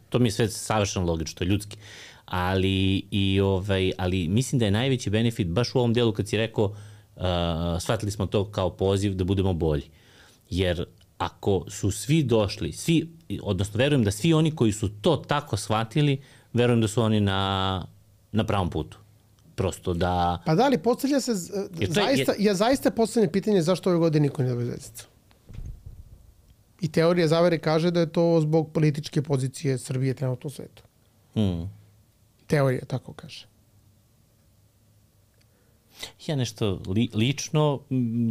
to mi je sve savršeno logično, to je ljudski. Ali mislim da je najveći benefit baš u ovom delu kad si rekao shvatili smo to kao poziv da budemo bolji. Jer ako su svi došli, odnosno verujem da svi oni koji su to tako shvatili, verujem da su oni na pravom putu. Prosto da... Pa da, ali postavlja se, ja zaista postavljam pitanje zašto ove godine niko ne dobije zvezdicu. I teorija zavere kaže da je to zbog političke pozicije Srbije trenutno u svetu. Teorija tako kaže. Ja nešto lično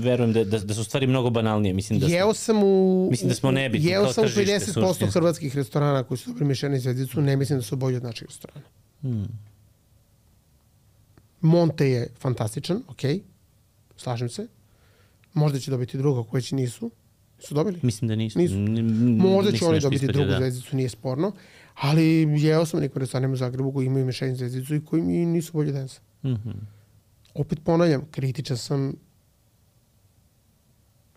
verujem da su stvari mnogo banalnije. Mislim da smo nebitni kao tržište. Jeo sam u 50% hrvatskih restorana koji su dobili Michelin zvezdicu, ne mislim da su bolji od naših restorana. Monte je fantastičan, okej, slažem se. Možda će dobiti drugo koji će nisu. Su dobili? Mislim da nisu. Možda će oni dobiti drugu zvezdicu, nije sporno. Ali jeo sam nekim restoranima u Zagrebu koji imaju Michelin zvezdicu i koji mi nisu bolji od Ensa. Opet ponavljam, kritičan sam.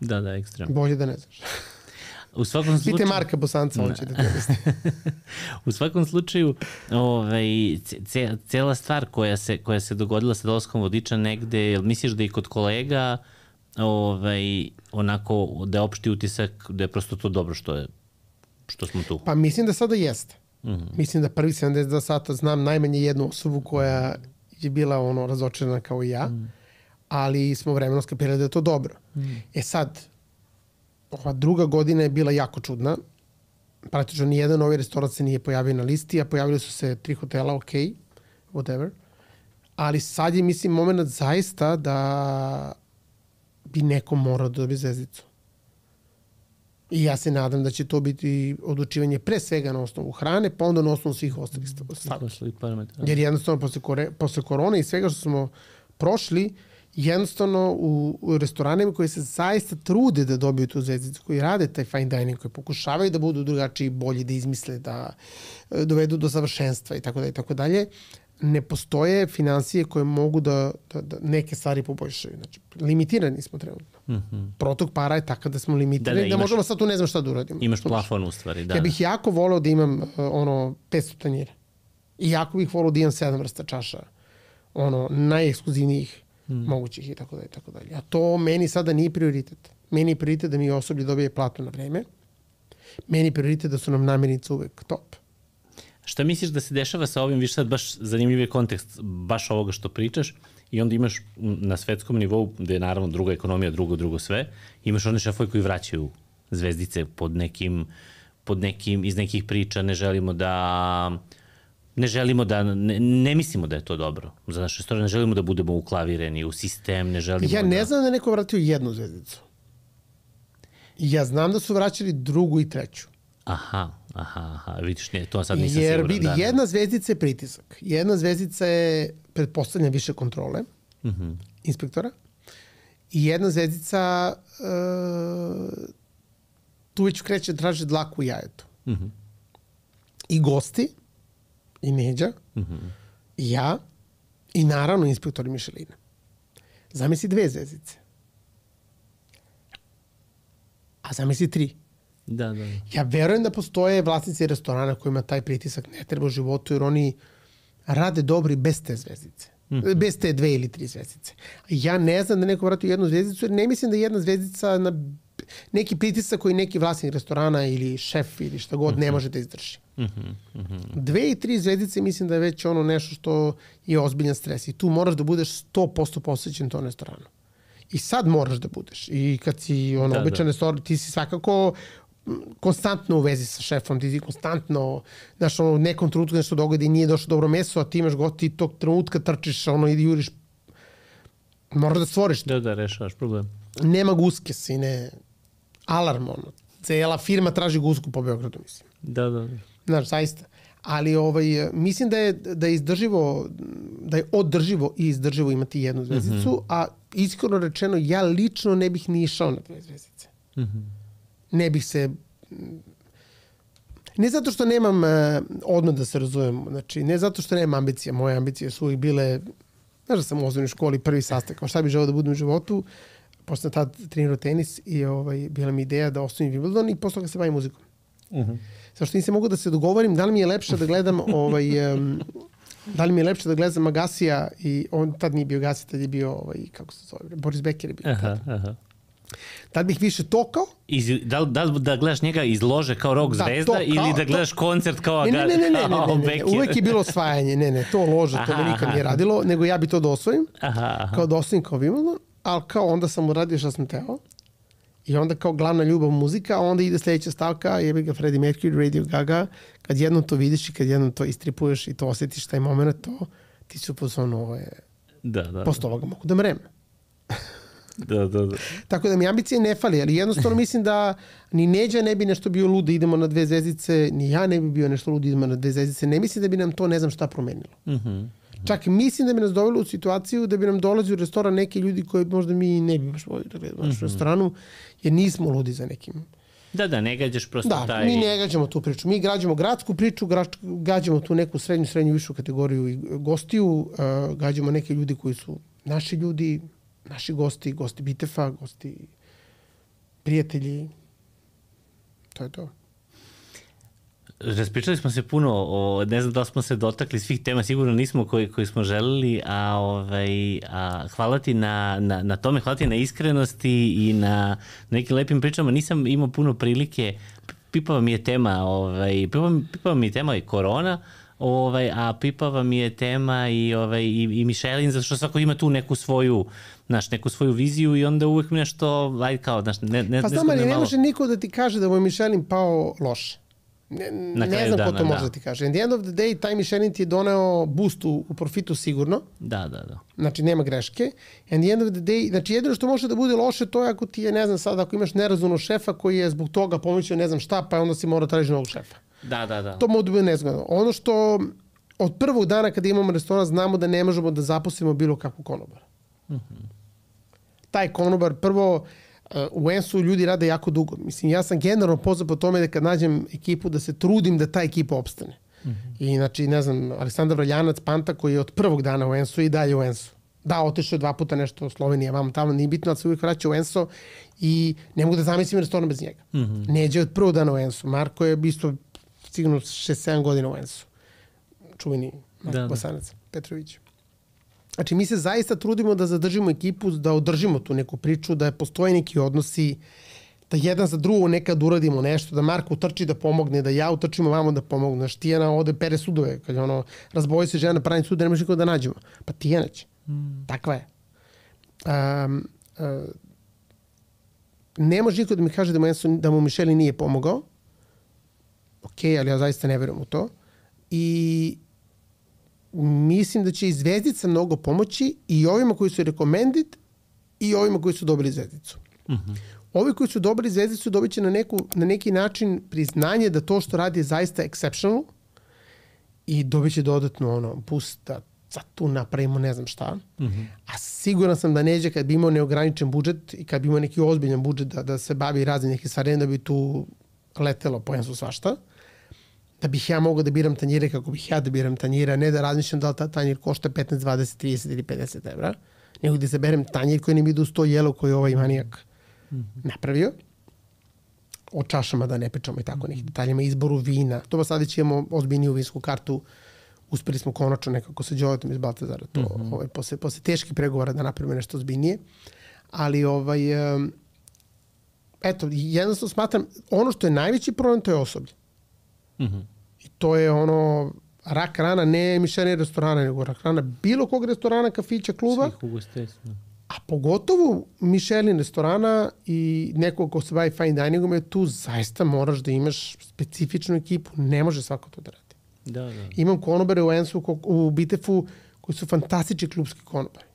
Da, ekstremno. Bolje da ne znaš. U svakom slučaju... Pite Marka Bosanca, on će da te misli. U svakom slučaju, cela stvar koja se dogodila sa dolaskom vodiča negde, jel misliš da i kod kolega onako da je opšti utisak da je prosto to dobro što smo tu? Pa mislim da sada jeste. Mislim da prvi 72 sata znam najmanje jednu osobu koja je bila razočarana kao i ja, ali smo vremenom skapirali da je to dobro. Sad, ova druga godina je bila jako čudna. Praktično nijedan novi restoran se nije pojavio na listi, a pojavili su se 3 hotela, ok, whatever. Ali sad je, mislim, moment zaista da bi neko morao da dobije zvezdicu. I ja se nadam da će to biti odlučivanje pre svega na osnovu hrane, pa onda na osnovu svih ostalih stavki. Jer jednostavno posle korone i svega što smo prošli, jednostavno u restoranima koji se zaista trude da dobiju tu zvezdicu, koji rade taj fine dining, koji pokušavaju da budu drugačiji, bolji, da izmisle, da dovedu do savršenstva i tako dalje, ne postoje finansije koje mogu da neke stvari poboljšaju. Znači, limitirani smo trenutno. Protok para je takav da smo limitirani, da možemo sad tu ne znam šta da uradimo. Imaš plafon u stvari, da. Ja bih jako voleo da imam 500 tanjira. I jako bih voleo da imam 7 vrsta čaša. Najekskluzivnijih mogućih i tako dalje. A to meni sada nije prioritet. Meni je prioritet da mi osoblje dobije platu na vreme. Meni je prioritet da su nam namirnice uvek top. Šta misliš da se dešava sa ovim, viš sad baš zanimljiv je kontekst baš ovoga što pričaš i onda imaš na svetskom nivou, gde je naravno druga ekonomija, drugo sve, imaš one šefovi koji vraćaju zvezdice pod nekim, iz nekih priča, ne mislimo da je to dobro za naše restoran, ne želimo da budemo uklavireni u sistem, ne želimo Ja ne znam da je neko vratio 1 zvezdicu. Ja znam da su vraćali 2. i 3. Aha, vidiš, to sad nisam jer siguran. Jer vidi, 1 zvezdica je pritisak. 1 zvezdica je pretpostavljena više kontrole inspektora i 1 zvezdica tu već kreće traži dlaku u jajetu. I gosti, i Neđa, i ja, i naravno inspektori Mišelina. Zamisli 2 zvezdice. A zamisli 3. Da. Ja verujem da postoje vlasnici restorana kojima taj pritisak ne treba u životu, jer oni rade dobri bez te zvezdice. Bez te 2 ili 3 zvezdice. Ja ne znam da neko vratio 1 zvezdicu, jer ne mislim da 1 zvezdica na neki pritisak koji neki vlasnik restorana ili šef ili šta god ne može da izdrži. 2 i 3 zvezdice mislim da je već nešto što je ozbiljan stres i tu moraš da budeš 100% posvećen tom restoranu. I sad moraš da budeš. I kad si običan restoran, ti si svakako konstantno u vezi sa šefom, ti si konstantno, znaš, u nekom trenutku nešto dogodi i nije došlo dobro meso, a ti imaš gosti i tog trenutka trčiš, i juriš. Moraš da stvoriš. Da, rešavaš problem. Nema guske, sine. Alarm, Cela firma traži gusku po Beogradu, mislim. Da. Znaš, zaista. Ali mislim da je izdrživo, da je održivo i izdrživo imati 1 zvezdicu, a iskreno rečeno, ja lično ne bih ni išao na 2 zvezdice. Ne bih se... Ne zato što nemam, odmah da se razumem, znači, ne zato što nemam ambicije, moje ambicije su uvijek bile, znaš da sam u osnovnoj školi prvi sastav, kao šta bih želeo da budem u životu, posle tad trenirao tenis i bila mi ideja da osnovim Wimbledon i posle toga se bavim muzikom. Zašto nisam mogu da se dogovorim da li mi je lepše da gledam Agasija i on tad nije bio Agasija, tad je bio kako se zove, Boris Becker je bio. Tad bih više tokao. Da gledaš njega iz lože kao rock zvezda ili da gledaš koncert kao Agasija? Ne. Uvek je bilo osvajanje. Ne, to lože, to me nikad nije radilo, nego ja bi to da osvojim. Kao da osvojim kao Wimbledon, ali kao onda sam uradio što sam teo. I onda kao glavna ljubav muzika, a onda ide sljedeća stavka, jebi ga Freddie Mercury, Radio Gaga. Kad jednom to vidiš i kad jednom to istripuješ i to osjetiš taj moment, to ti su pozvano posle ovoga mogu da mrem. Da. Tako da mi ambicije ne fali, ali jednostavno mislim da ni Neđa ne bi nešto bio lud da idemo na 2 zvezdice, ni ja ne bi bio nešto lud da idemo na 2 zvezdice. Ne mislim da bi nam to ne znam šta promenilo. Čak mislim da bi nas dovelo u situaciju da bi nam dolazio u restoran neki ljudi koji možda mi ne bi baš volili da gledamo u našem restoranu, jer nismo ludi za nekim. Da, ne gađaš prosto taj... Da, mi ne gađamo tu priču. Mi gađamo gradsku priču, gađamo tu neku srednju višu kategoriju i gostiju, gađamo neke ljudi koji su naši ljudi, naši gosti Bitefa, gosti prijatelji. To je to. Raspričali smo se puno, ne znam da li smo se dotakli svih tema, sigurno nismo koji smo želeli, a hvala ti na tome, hvala ti na iskrenosti i na nekim lepim pričama. Nisam imao puno prilike, pipava mi je tema, pipava mi je tema i korona, a pipava mi je tema i Michelin, zato što svako ima tu neku svoju viziju i onda uvek nešto, kao, pa znam, ali ne može niko da ti kaže da mu je Michelin pao loše. Ne znam ko to može da ti kaže. At the end of the day, taj Michelin ti je doneo boost u profitu sigurno. Da. Znači, nema greške. And the end of the day, znači, jedino što može da bude loše, to je ako ti je, ne znam sad, ako imaš nerazumnog šefa koji je zbog toga pomislio ne znam šta, pa onda si mora tražiti novog šefa. Da. To može da bude nezgodno. Ono što od prvog dana kada imamo restoran, znamo da ne možemo da zaposlimo bilo kakvu konobara. Taj konobar, prvo, u Ensu ljudi rade jako dugo. Mislim, ja sam generalno poznat po tome da kad nađem ekipu da se trudim da ta ekipa opstane. I znači, ne znam, Aleksandar Vraljanac, Panta, koji je od prvog dana u Ensu i dalje u Ensu. Da, otišao je 2 puta nešto u Slovenija, vam tamo, nije bitno, ali se uvijek vraća u Enso i ne mogu da zamislim restoran bez njega. Neđe od prvog dana u Ensu. Marko je isto sigurno 6-7 godina u Ensu. Čuveni Marko Bosanac, Petrović. Znači, mi se zaista trudimo da zadržimo ekipu, da održimo tu neku priču, da postoje neki odnosi, da jedan za drugo nekad uradimo nešto, da Marko utrči da pomogne, da ja utrčimo vamo da pomogne. Znaš, Tijana ode pere sudove, kad je razboji se žena pravi sude, ne može niko da nađemo. Pa Tijana će. Takva je. Ne može niko da mi kaže da mu Michelin nije pomogao. Ok, ali ja zaista ne verujem u to. I mislim da će i zvezdica mnogo pomoći i ovima koji su recommended i ovima koji su dobili zvezdicu. Ovi koji su dobili zvezdicu dobit će na neki način priznanje da to što radi je zaista exceptional i dobit će dodatno boost da sad tu napravimo ne znam šta. A siguran sam da Neđe kad bi imao neograničen budžet i kad bi imao neki ozbiljan budžet da se bavi raznim nekih stvari, da bi tu letelo po Ensu svašta. Da bih ja mogao da biram tanjire kako bih ja da biram tanjira, ne da razmišljam da li ta tanjir košta 15, 20, 30 ili 50 evra, nego da izaberem tanjir koji ne mi ide uz to jelo koje je ovaj manijak napravio. O čašama da ne pričamo i tako nekih detaljima, izboru vina. To pa sad već imamo ozbiljniju vinsku kartu. Uspeli smo konačno nekako sa Đoletom iz Baltazara to, posle teških pregovora da napravimo nešto ozbiljnije. Ali eto, jednostavno smatram, ono što je najveći problem, to je osoblje. I to je rak rana, ne Michelin restorana, nego rak rana bilo kog restorana, kafića, kluba. Svih ugostiteljstva. A pogotovo Michelin restorana i nekog ko se bavi fine diningom, je tu zaista moraš da imaš specifičnu ekipu. Ne može svako to da radi. Da. Imam konobare u Ensu, u Bitefu, koji su fantastični klubski konobari.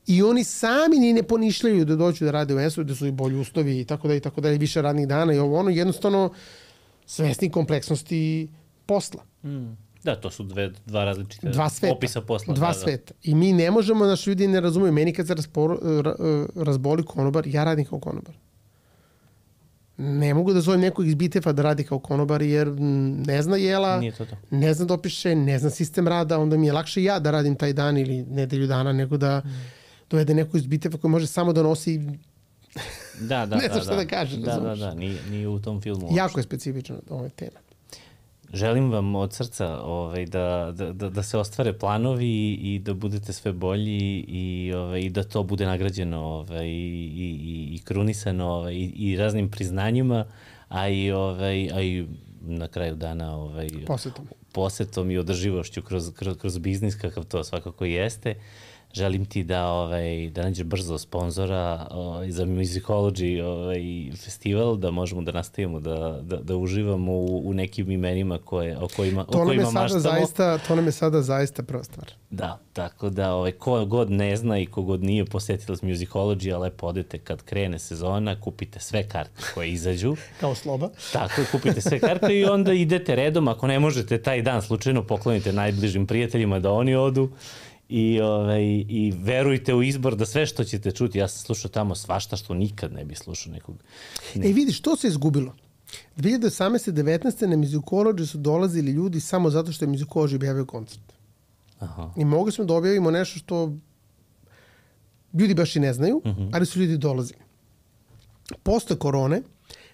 I oni sami ni ne ponišljaju da dođu da rade u Ensu, da su i bolji uslovi i tako dalje, više radnih dana i jednostavno svesni kompleksnosti posla. Da, to su dva različite opisa posla. Dva sveta. I mi ne možemo, naši ljudi ne razumiju. Meni kad se razboli konobar, ja radim kao konobar. Ne mogu da zovem nekog iz Bitefa da radi kao konobar, jer ne zna jela, ne zna dopiše, ne zna sistem rada, onda mi je lakše ja da radim taj dan ili nedelju dana, nego da dovede neko iz Bitefa koji može samo da nosi ne znam šta da kaže. Da, nije u tom filmu. Jako je specifično ova tema. Želim vam od srca da se ostvare planovi i da budete sve bolji i da to bude nagrađeno i krunisano i raznim priznanjima, a i na kraju dana posetom i održivošću kroz biznis kakav to svakako jeste. Želim ti da nađeš brzo sponzora za Musicology festival, da možemo da nastavimo da uživamo u nekim imenima o kojima maštamo. To nam je sada zaista prva stvar. Da, tako da ko god ne zna i ko god nije posetilac Musicology, a lepo odete kad krene sezona, kupite sve karte koje izađu. Kao sloba. Tako, kupite sve karte i onda idete redom. Ako ne možete taj dan slučajno poklonite najbližim prijateljima da oni odu. I verujte u izbor da sve što ćete čuti, ja sam slušao tamo svašta što nikad ne bi slušao nekog. Vidiš, to se izgubilo. 2018-19. na Musicology su dolazili ljudi samo zato što je Musicology objavio koncert. I mogli smo da objavimo nešto što ljudi baš i ne znaju, ali su ljudi dolazili. Posle korone,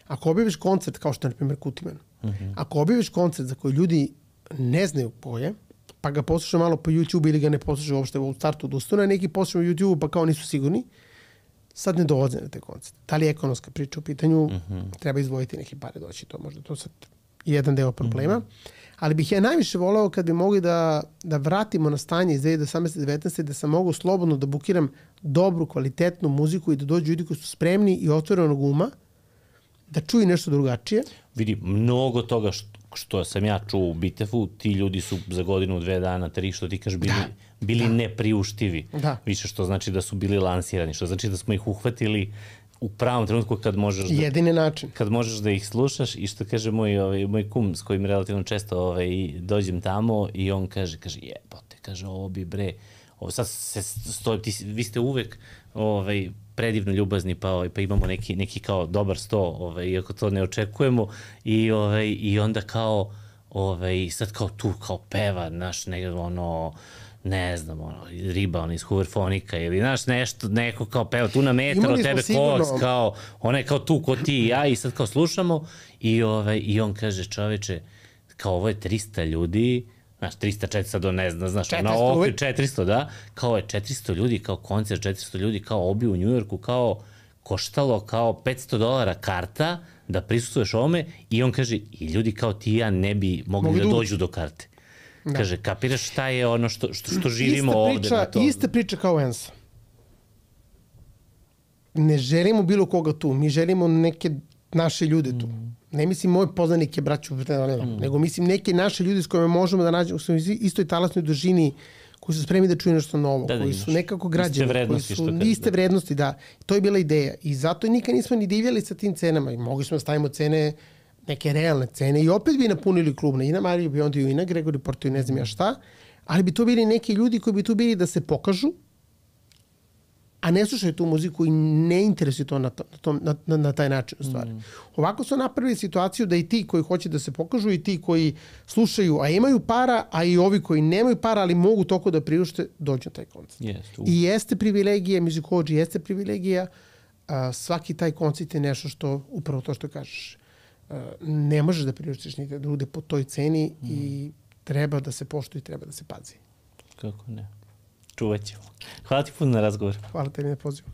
Ako objaviš koncert, kao što je, na primjer, Kutiman, ako objaviš koncert za koji ljudi ne znaju ko je, pa ga poslušaju malo po YouTube ili ga ne poslušaju uopšte u startu odustane, neki poslušaju YouTube pa kao nisu sigurni, sad ne dolaze na te koncerte. Da li je ekonomska priča u pitanju, treba izdvojiti neke pare doći, to možda to sad jedan deo problema. Ali bih ja najviše voleo kad bi mogli da vratimo na stanje iz 2018-19 da sam mogu slobodno da bukiram dobru, kvalitetnu muziku i da dođu ljudi koji su spremni i otvorenog uma da čuju nešto drugačije. Vidi, mnogo toga što sam ja čuo u Bitefu, ti ljudi su za godinu, 2 dana, 3, što ti kažeš, bili nepriuštivi. Da. Više što znači da su bili lansirani, što znači da smo ih uhvatili u pravom trenutku kad možeš da... Jedini način. Kad možeš da ih slušaš i što kaže moj kum s kojim relativno često dođem tamo i on kaže jebote, kaže ovo bi bre, ovo sad se stoji, vi ste uvek predivno ljubazni, pa imamo neki kao dobar sto, iako to ne očekujemo i onda kao sad kao tu kao peva naš ne znam, riba iz Hooverfonika ili nešto, neko kao peva tu na metar od tebe koks, kao, ona je kao tu ko ti i ja i sad kao slušamo i on kaže čoveče, kao ovo je 300 ljudi, znaš, 300, 400, ne znam, znaš, na okvir 400, da, kao je 400 ljudi, kao koncert 400 ljudi, kao obi u Njujorku, kao koštalo kao $500 karta da prisustvuješ ovome i on kaže, i ljudi kao ti i ja ne bi mogli da dođu do karte. Kaže, kapiraš šta je ono što živimo ovde na to? Ista priča kao Enso. Ne želimo bilo koga tu, mi želimo neke naše ljude tu. Ne mislim moje poznanike, braću, nego mislim neke naše ljude s kojima možemo da nađemo, koji su istoj talasnoj dužini, koji su spremni da čuju nešto novo, koji su nekako građani, koji su iste vrednosti, da. To je bila ideja. I zato nikad nismo ni divljali sa tim cenama. I mogli smo da stavimo cene, neke realne cene i opet bi napunili klub na Ina Mariju Biondi i na Gregory Porto i ne znam ja šta, ali bi to bili neki ljudi koji bi tu bili da se pokažu, a ne slušaju tu muziku i ne interesuju to na taj način u stvari. Ovako su napravili situaciju da i ti koji hoće da se pokažu i ti koji slušaju, a imaju para, a i ovi koji nemaju para, ali mogu toliko da priušte, dođu na taj koncert. I jeste privilegija, muzikolođi jeste privilegija, svaki taj koncert je nešto što, upravo to što kažeš, ne možeš da priuštiš nigde da bude po toj ceni i treba da se poštuje i treba da se pazi. Kako ne. Čuvat ćemo. Hvala ti puno na razgovor. Hvala tebi na pozivu.